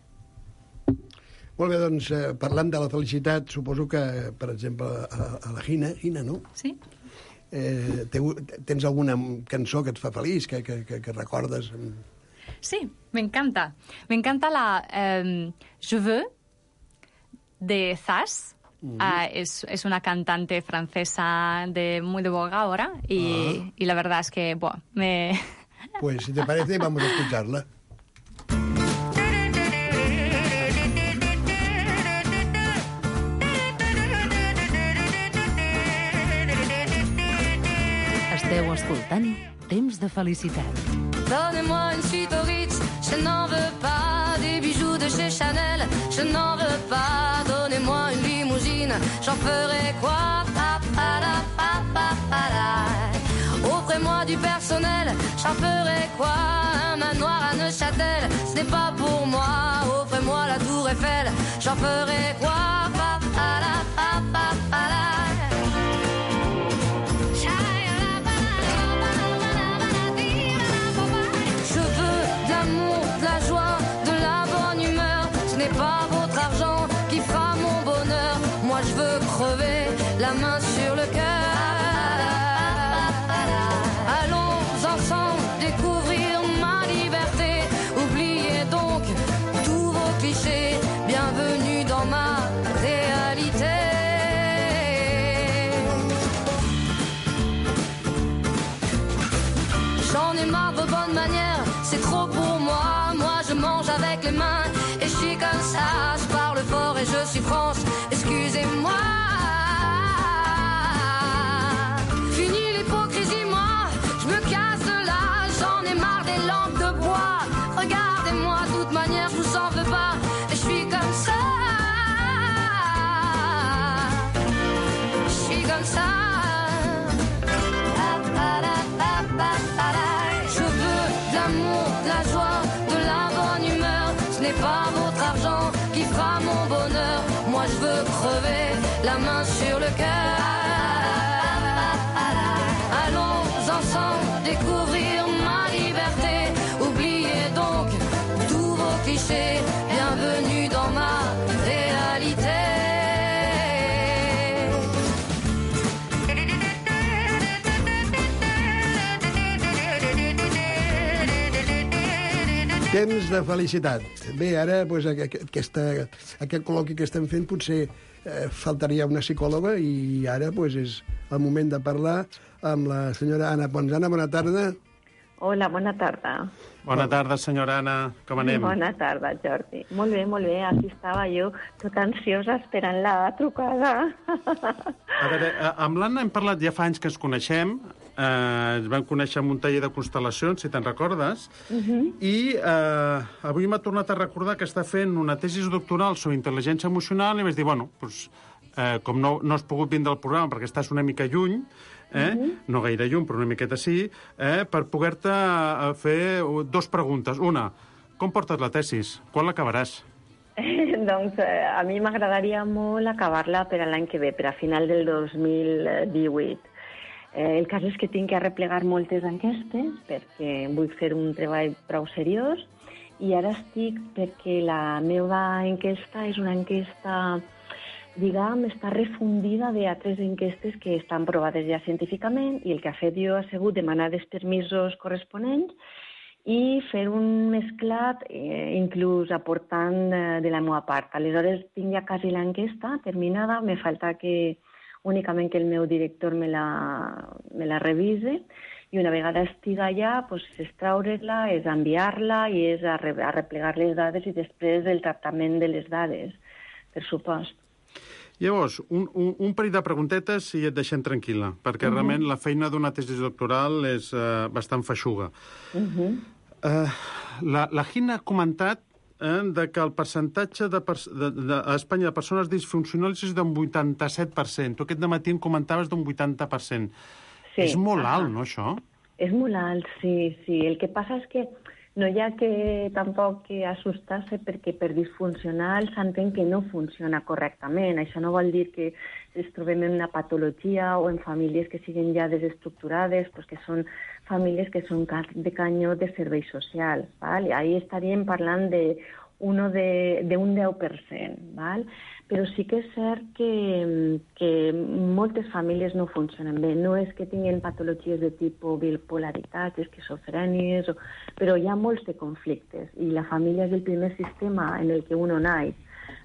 Molt bé, doncs, parlant de la felicitat, suposo que, per exemple, a la Gina, no? Sí. Tens alguna cançó que et fa feliç, que recordes? Sí, me encanta. Me encanta la Je veux de Zaz. Es una cantante francesa muy de boga ahora y la verdad es que me... Pues si te parece, vamos a escucharla. Esteu escoltant Temps de felicitat. Donnez-moi une suite au Ritz, je n'en veux pas. Des bijoux de chez Chanel, je n'en veux pas. Donnez-moi une limousine, j'en ferai quoi? Offrez-moi du personnel, j'en ferai quoi? Un manoir à Neuchâtel, ce n'est pas pour moi. Offrez-moi la tour Eiffel, j'en ferai quoi? Je veux crever la main sur le cœur. Allons ensemble découvrir ma liberté. Oubliez donc tous vos clichés. Bienvenue dans ma réalité. J'en ai marre de vos bonnes manières, c'est trop pour moi. Moi je mange avec les mains et je suis comme ça. Je parle fort et je suis France. Excusez-moi. Fini l'hypocrisie, moi, je me casse de là. J'en ai marre des lampes de bois. Regardez-moi, de toute manière, je vous en veux pas. Et je suis comme ça. Je suis comme ça. Je veux de l'amour, de la joie, de la bonne humeur. Ce n'est pas votre argent qui pas mon bonheur. Moi je veux crever la main sur le cœur. Allons ensemble découvrir ma liberté. Oubliez donc tous vos clichés. Bienvenue dans ma réalité. Temps de felicitat. Bé, ara doncs, aquest col·loqui que estem fent potser faltaria una psicòloga i ara doncs, és el moment de parlar amb la senyora Anna Pons. Anna, bona tarda. Hola, bona tarda. Bona tarda, senyora Anna. Com anem? Bona tarda, Jordi. Molt bé, molt bé. Aquí estava jo, tota ansiosa, esperant la trucada. A veure, amb l'Anna hem parlat ja fa anys que ens coneixem. Ens vam conèixer en un taller de constel·lacions, si te'n recordes. I avui m'ha tornat a recordar que està fent una tesi doctoral sobre intel·ligència emocional i vaig dir, bueno, doncs, com no has pogut vindre al programa perquè estàs una mica lluny, no gaire lluny, però una miqueta sí, per poder-te fer dues preguntes. Una, com portes la tesis? Quan l'acabaràs? Doncs a mi m'agradaria molt acabar-la per a l'any que ve, per a final del 2018. El cas és que tinc que arreplegar moltes enquestes perquè vull fer un treball prou seriós i ara estic perquè la meva enquesta és una enquesta, diguem, està refundida d'altres enquestes que estan provades ja científicament i el que ha fet jo ha sigut demanar els permisos corresponents i fer un mesclat, inclús aportant de la meva part. Aleshores tinc ja quasi l'enquesta terminada, me falta que únicament que el meu director me la revise i una vegada estiga allà, doncs, és treure-la, és enviar-la i és arreplegar les dades i després el tractament de les dades, per supost. Llavors, un parell de preguntetes i et deixem tranquil·la, perquè realment la feina d'una tesi doctoral és bastant feixuga. La Gina ha comentat de que el percentatge a Espanya de persones disfuncionals és d'un 87%. Tu aquest dematí em comentaves d'un 80%. Sí, és molt alt, no, això? És molt alt, sí. El que passa és que no hi ha que tampoc que assustar-se perquè per disfuncional s'entén que no funciona correctament. Això no vol dir que ens trobem en una patologia o en famílies que siguin ja desestructurades, pues que són famílies que són de canyó de serveis socials. ¿vale? Ahí estaríem parlant d'un 10%. ¿vale? Però sí que és cert que moltes famílies no funcionen bé. No és que tinguin patologies de tipus bipolaritat, esquizofrènies, però hi ha molts de conflictes i la família és el primer sistema en el que uno naix.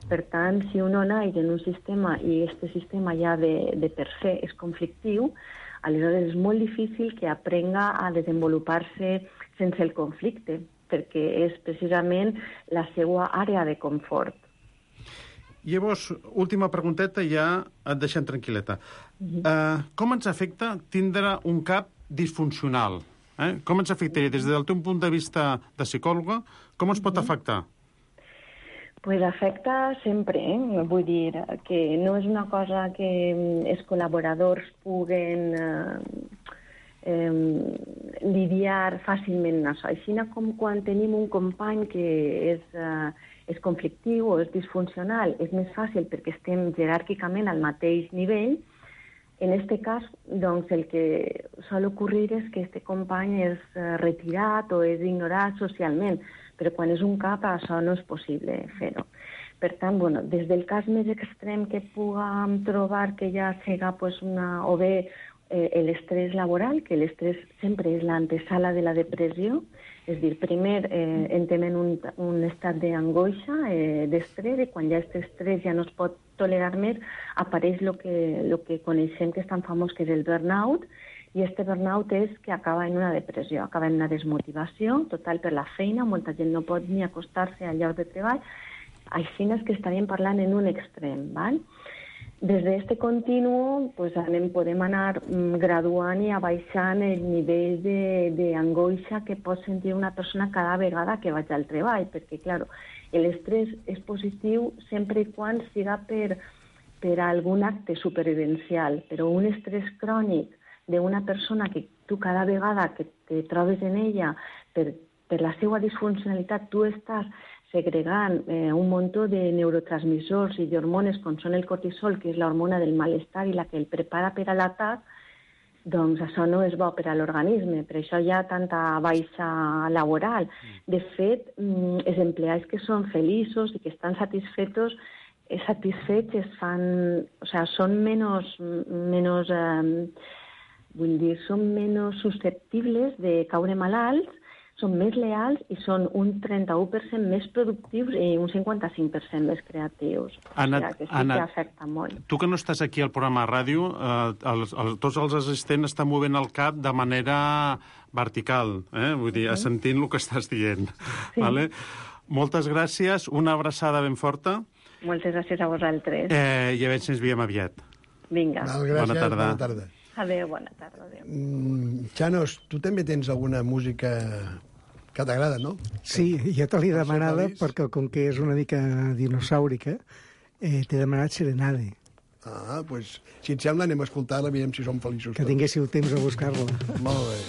Per tant, si uno naix en un sistema i aquest sistema ja de per se és conflictiu, aleshores és molt difícil que aprenga a desenvolupar-se sense el conflicte, perquè és precisament la seva àrea de confort. Llavors, última pregunteta i ja et deixem tranquil·leta. Com ens afecta tindre un cap disfuncional? Com ens afectaria des del teu punt de vista de psicòloga? Com ens pot afectar? Pues afecta sempre, vull dir que no és una cosa que els col·laboradors puguen lidiar fàcilment amb això. Així com quan tenim un company que és conflictiu o és disfuncional, és més fàcil perquè estem jeràrquicament al mateix nivell. En aquest cas, doncs, el que sol ocorrir és que aquest company és retirat o és ignorat socialment, però quan és un cap això no és possible fer-ho. Per tant, bueno, des del cas més extrem que puguem trobar que ja siga pues, o bé l'estrès laboral, que l'estrès sempre és l'antesala de la depressió, és a dir, primer entrem en un estat d'angoixa, d'estrès, i quan ja aquest estrès ja no es pot tolerar més, apareix el que coneixem que és tan famós, que és el burnout, i aquest burnout és que acaba en una depressió, acaba en una desmotivació total per la feina, molta gent no pot ni acostar-se al lloc de treball, així és que estaríem parlant en un extrem, val? Des d'aquest continu podem anar graduant i abaixant el nivell d'angoixa que pot sentir una persona cada vegada que vaig al treball, perquè, clar, l'estrès és positiu sempre i quan siga per algun acte supervivencial, però un estrès crònic d'una persona que tu cada vegada que te trobes en ella per la seva disfuncionalitat tu estàs segregant un muntó de neurotransmissors i d'hormones com són el cortisol, que és l'hormona del malestar i la que el prepara per a l'atac, doncs això no és bo per a l'organisme, per això hi ha tanta baixa laboral. De fet, els empleats que són feliços i que estan satisfets són menys susceptibles de caure malalts, són més leals i són un 31% més productius i un 55% més creatius. Anna, o sigui que sí que afecta molt. Tu que no estàs aquí al programa de ràdio, tots els assistents estan movent el cap de manera vertical, vull dir, assentint el que estàs dient. Sí. Vale? Moltes gràcies, una abraçada ben forta. Moltes gràcies a vosaltres. I a veure si ens veiem aviat. Vinga. Gràcies, bona tarda. Bona tarda. Adéu, bona tarda. Adéu. Xanos, tu també tens alguna música que t'agrada, no? Sí, ja te l'he demanada perquè com que és una mica dinosaurica, t'he demanat Serenade. Ah, doncs, si et sembla, anem a escoltar-la, veiem si som feliços. Que tinguéssiu temps a buscar-la. Molt bé.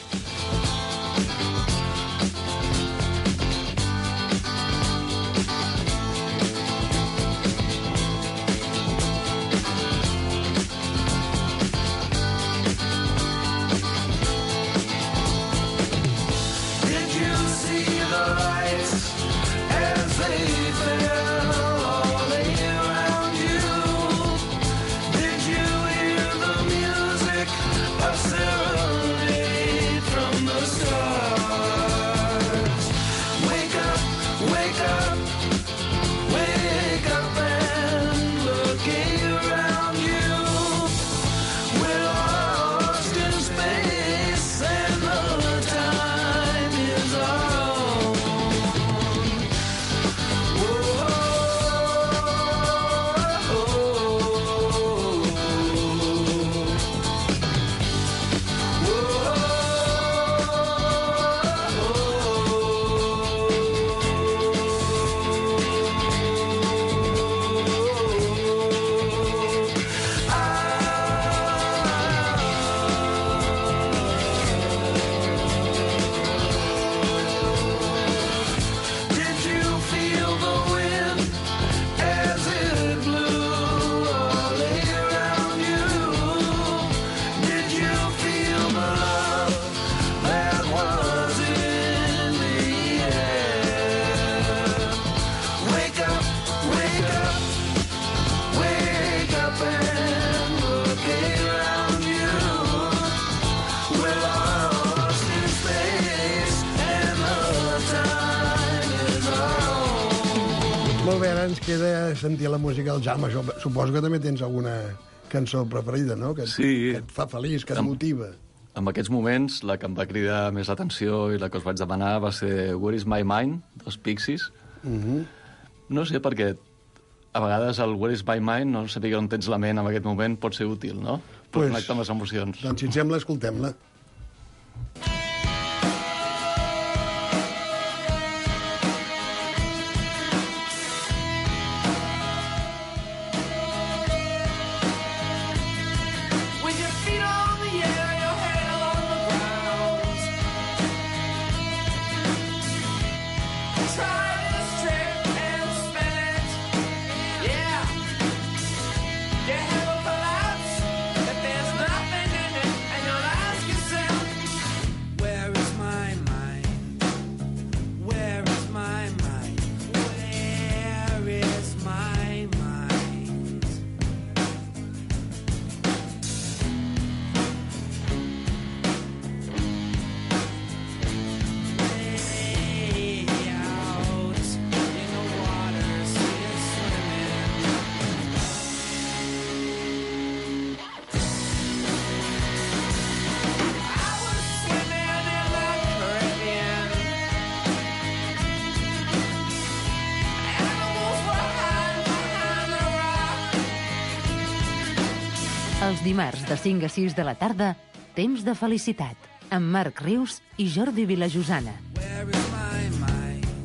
Molt bé, ara ens queda sentir la música del Jaume. Suposo que també tens alguna cançó preferida, no? Que et fa feliç, que et motiva. En aquests moments, la que em va cridar més l'atenció i la que us vaig demanar va ser Where is my mind, dels Pixies. No sé, perquè a vegades el Where is my mind, no saber on tens la ment en aquest moment, pot ser útil, no? Per connectar amb les emocions. Doncs, si et sembla, escoltem-la. Els dimarts de 5 a 6 de la tarda, Temps de felicitat, amb Marc Rius i Jordi Vilajosana.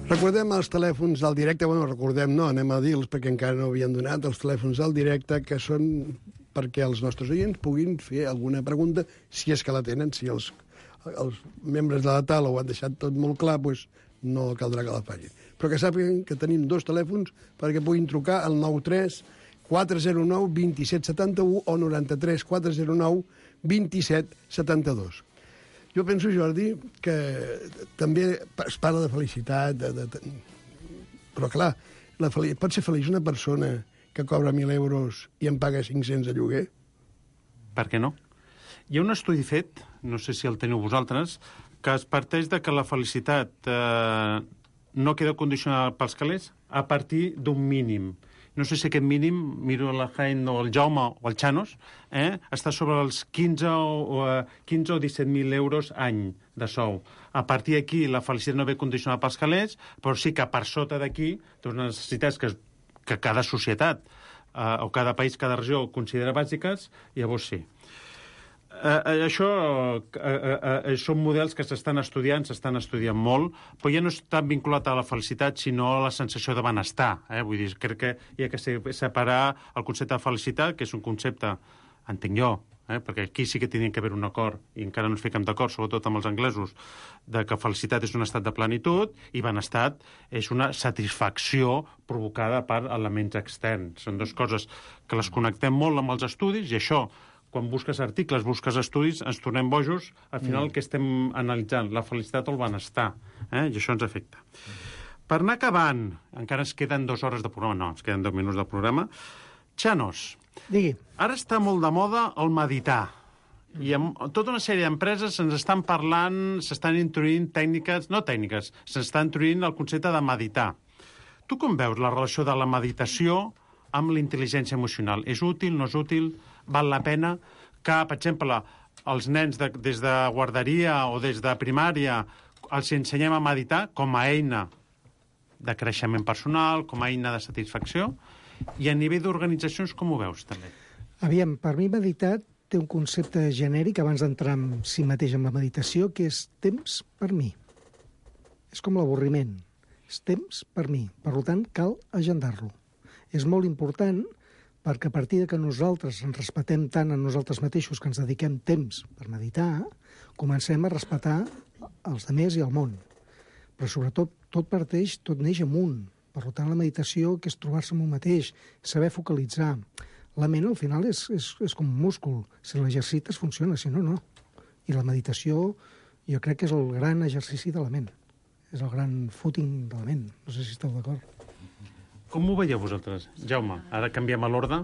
Recordem els telèfons del directe, recordem, no, anem a dir-los perquè encara no havien donat, els telèfons del directe, que són perquè els nostres oients puguin fer alguna pregunta, si és que la tenen, si els membres de la taula ho han deixat tot molt clar, doncs no caldrà que la facin. Però que sàpiguen que tenim 2 telèfons perquè puguin trucar al 93 409 2771 o 93 409 2772. Jo penso, Jordi, que també es parla de felicitat, però clar, pot ser feliç una persona que cobra 1.000 euros i en paga 500 de lloguer? Per què no? Hi ha un estudi fet, no sé si el teniu vosaltres, que es parteix de que la felicitat no queda condicionada pels calés a partir d'un mínim. No sé si aquest mínim, miro la Jaén o el Jaume o el Chanos, està sobre els 15 o 17.000 euros any de sou. A partir d'aquí la felicitat no ve condicionada pels calés, però sí que per sota d'aquí té unes necessitats que cada societat o cada país, cada regió considera bàsiques, llavors sí. Això són models que s'estan estudiant molt, però ja no està vinculat a la felicitat, sinó a la sensació de benestar. Vull dir, crec que hi ha que separar el concepte de felicitat, que és un concepte, entenc jo, perquè aquí sí que tenia que haver un acord, i encara no ens fiquem d'acord, sobretot amb els anglesos, de que felicitat és un estat de plenitud i benestar és una satisfacció provocada per elements externs. Són dues coses que les connectem molt amb els estudis, i això, quan busques articles, busques estudis, ens tornem bojos, al final el que estem analitzant, la felicitat o el benestar, i això ens afecta. Per anar acabant, encara ens queden 2 hores de programa, ens queden 2 minuts de programa. Chanos, digui. Ara està molt de moda el meditar, i amb tota una sèrie d'empreses se'ns estan parlant, s'estan introduint s'està introduint el concepte de meditar. Tu com veus la relació de la meditació amb la intel·ligència emocional? És útil, no és útil? Val la pena que, per exemple, els nens des de guarderia o des de primària els ensenyem a meditar com a eina de creixement personal, com a eina de satisfacció, i a nivell d'organitzacions com ho veus, també? Aviam, per mi meditar té un concepte genèric, abans d'entrar en si mateix en la meditació, que és temps per mi. És com l'avorriment. És temps per mi. Per tant, cal agendar-lo. És molt important perquè a partir de que nosaltres ens respectem tant a nosaltres mateixos que ens dediquem temps per meditar, comencem a respectar els altres i el món. Però sobretot tot neix amunt. Per tant, la meditació, que és trobar-se amb un mateix, saber focalitzar. La ment, al final, és com un múscul. Si l'exercites, funciona, si no, no. I la meditació, jo crec que és el gran exercici de la ment. És el gran footing de la ment. No sé si esteu d'acord. Com ho veieu vosaltres? Jaume, ara canviem a l'ordre.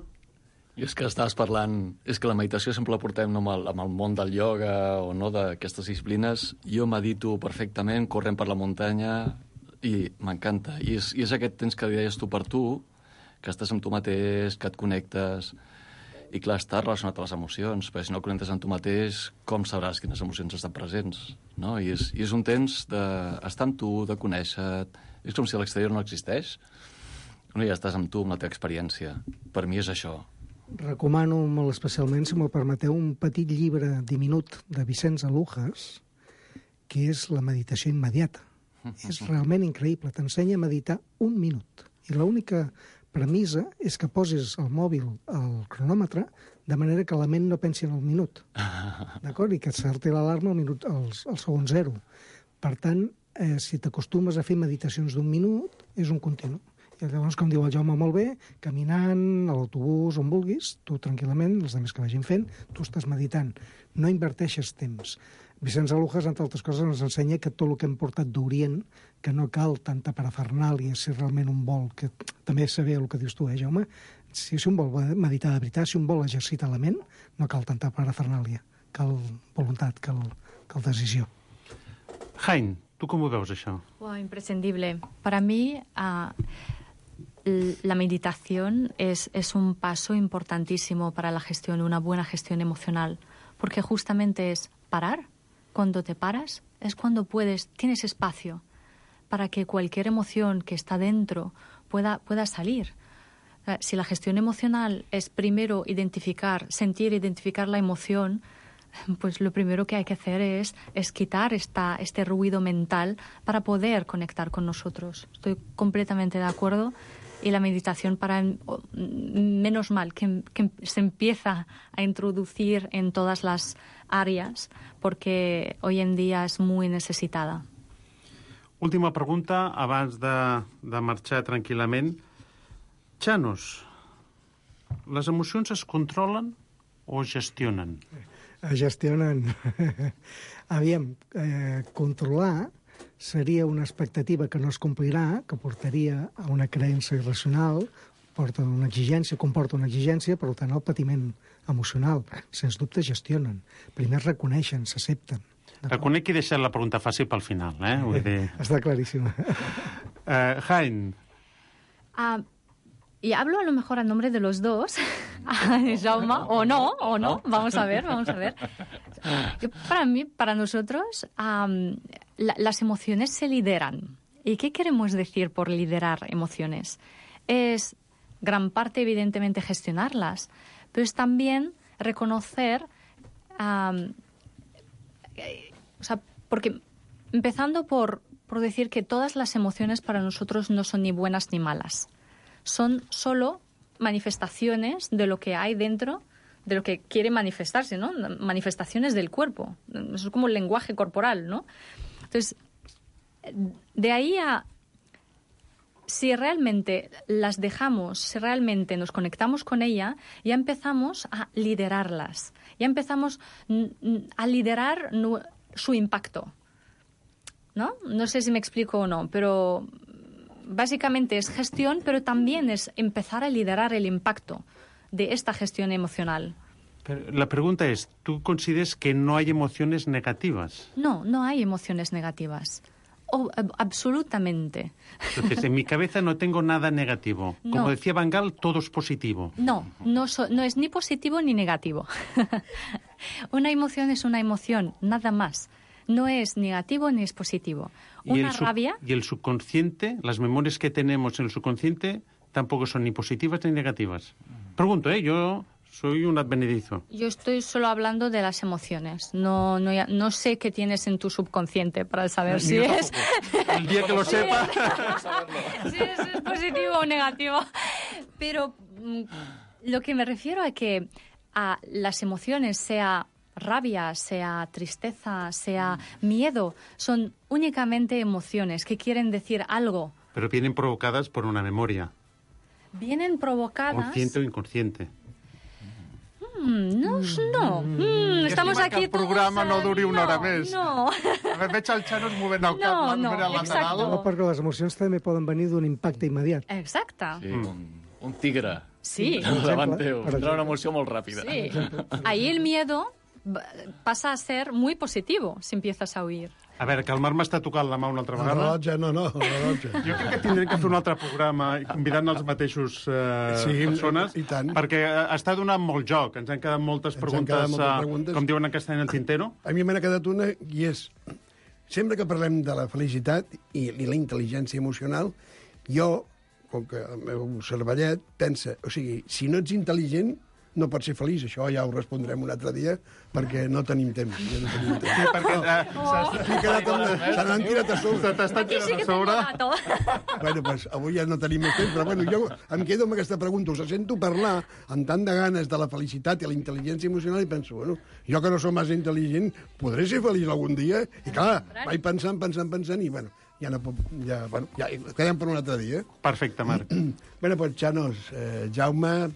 I és que estaves parlant... És que la meditació sempre la portem no, amb el món del ioga o no d'aquestes disciplines. Jo medito perfectament, corrent per la muntanya, i m'encanta. I és aquest temps que deies tu per tu, que estàs amb tu mateix, que et connectes... I clar, està relacionat a les emocions, perquè si no connectes amb tu mateix, com sabràs quines emocions estan presents? No? I és un temps d'estar amb tu, de conèixer-te... És com si l'exterior no existeix. No, ja estàs amb tu, amb la teva experiència. Per mi és això. Recomano molt especialment, si m'ho permeteu, un petit llibre diminut de Vicenç Alujas, que és la meditació immediata. És realment increïble. T'ensenya a meditar 1 minut. I l'única premissa és que posis el mòbil al cronòmetre de manera que la ment no pensi en el minut. D'acord? I que et salti l'alarma al segon 0. Per tant, si t'acostumes a fer meditacions d'1 minut, és un continu. I llavors, com diu el Jaume molt bé, caminant, a l'autobús, on vulguis, tu tranquil·lament, els altres que vagin fent, tu estàs meditant. No inverteixes temps. Vicenç Alujas, entre altres coses, ens ensenya que tot el que hem portat d'Orient, que no cal tanta parafernàlia, si realment un vol, que també saber el que dius tu, Jaume, si un vol meditar de veritat, si un vol exercitar la ment, no cal tanta parafernàlia. Cal voluntat, cal decisió. Jaén, tu com ho veus, això? Imprescindible. Para mí... la meditación es un paso importantísimo para la gestión, una buena gestión emocional, porque justamente es parar. Cuando te paras es cuando tienes espacio para que cualquier emoción que está dentro pueda salir. Si la gestión emocional es primero identificar la emoción, pues lo primero que hay que hacer es quitar este ruido mental para poder conectar con nosotros. Estoy completamente de acuerdo. Y la meditación, menos mal que se empieza a introducir en todas las áreas, porque hoy en día es muy necesitada. Última pregunta, abans de marxar tranquil·lament. Chanos, les emocions es controlen o es gestionen? Es gestionen. Aviam, controlar seria una expectativa que no es complirà, que portaria a una creença irracional, comporta una exigència, per tant, el patiment emocional. Sens dubte gestionen. Primer es reconeixen, s'accepten. Reconec que he deixat la pregunta fàcil pel final, Vull dir... Està claríssima. Jaén. Y hablo a lo mejor a nombre de los dos, Jaume, o no, vamos a ver. Para nosotros, las emociones se lideran. ¿Y qué queremos decir por liderar emociones? Es gran parte, evidentemente, gestionarlas, pero es también reconocer... porque empezando por decir que todas las emociones para nosotros no son ni buenas ni malas. Son solo manifestaciones de lo que hay dentro, de lo que quiere manifestarse, ¿no? Manifestaciones del cuerpo. Eso es como el lenguaje corporal, ¿no? Entonces, de ahí a... Si realmente las dejamos, si realmente nos conectamos con ella, ya empezamos a liderarlas. Ya empezamos a liderar su impacto, ¿no? No sé si me explico o no, pero básicamente es gestión, pero también es empezar a liderar el impacto de esta gestión emocional. Pero la pregunta es, ¿tú consideras que no hay emociones negativas? No, no hay emociones negativas. Absolutamente. Entonces, en mi cabeza no tengo nada negativo. No. Como decía Van Gaal, todo es positivo. No es ni positivo ni negativo. Una emoción es una emoción, nada más. No es negativo ni es positivo. Una rabia... Y el subconsciente, las memorias que tenemos en el subconsciente, tampoco son ni positivas ni negativas. Pregunto, yo soy un advenedizo. Yo estoy solo hablando de las emociones. No sé qué tienes en tu subconsciente para saber si es... El día que lo sepa... si es positivo o negativo. Pero lo que me refiero es que a las emociones, sea rabia, sea tristeza, sea miedo, son únicamente emociones que quieren decir algo. Pero vienen provocadas por una memoria. Vienen provocadas... Consciente o inconsciente. No. Estamos aquí el programa no duri una hora més. No. Veig el Chanos movent el cap de manera lateral. No, perquè les emocions també poden venir d'un impacte immediat. Exacte. Sí, un tigre. Sí. Davant teu. Tindrà una emoció molt ràpida. Sí. Ahí el miedo pasa a ser muy positivo si empiezas a huir. A veure, que el Marc m'està tocant la mà una altra vegada. No, la rellotge. Jo crec que tindrem que fer un altre programa convidant els mateixos persones, i tant. perquè està donant molt joc. Ens han quedat moltes preguntes, com diuen en castellà, en el tintero. A mi m'ha quedat una, i és... Sempre que parlem de la felicitat i la intel·ligència emocional, jo, com que el meu cervellet, pensa... O sigui, si no ets intel·ligent, no pots ser feliç. Això ja ho respondrem un altre dia, perquè no tenim temps. Ja no tenim temps. Sí, perquè se n'han tirat a sobre. T'estan tirant a sobre. Bueno, pues avui ja no tenim més temps, però bueno, jo em quedo amb aquesta pregunta. Us sento parlar amb tant de ganes de la felicitat i la intel·ligència emocional i penso, bueno, jo que no som massa intel·ligent, podré ser feliç algun dia? I clar, vaig pensant, i bueno, ja quedem per un altre dia. Perfecte, Marc. Bueno, pues, Chanos, Jaume,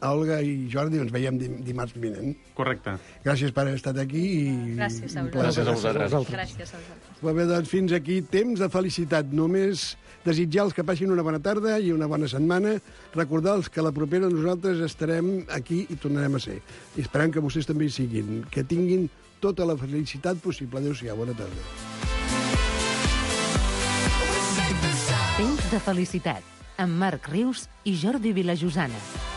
Olga i Jordi, ens veiem dimarts vinent. Correcte. Gràcies per haver estat aquí. Gràcies a vosaltres. Gràcies a vosaltres. Molt bé, doncs fins aquí temps de felicitat. Només desitjar-los que passin una bona tarda i una bona setmana. Recordar-los que la propera nosaltres estarem aquí i tornarem a ser. I esperem que vostès també hi siguin. Que tinguin tota la felicitat possible. Adéu-siau, bona tarda. Temps de felicitat amb Marc Rius i Jordi Vilajosana.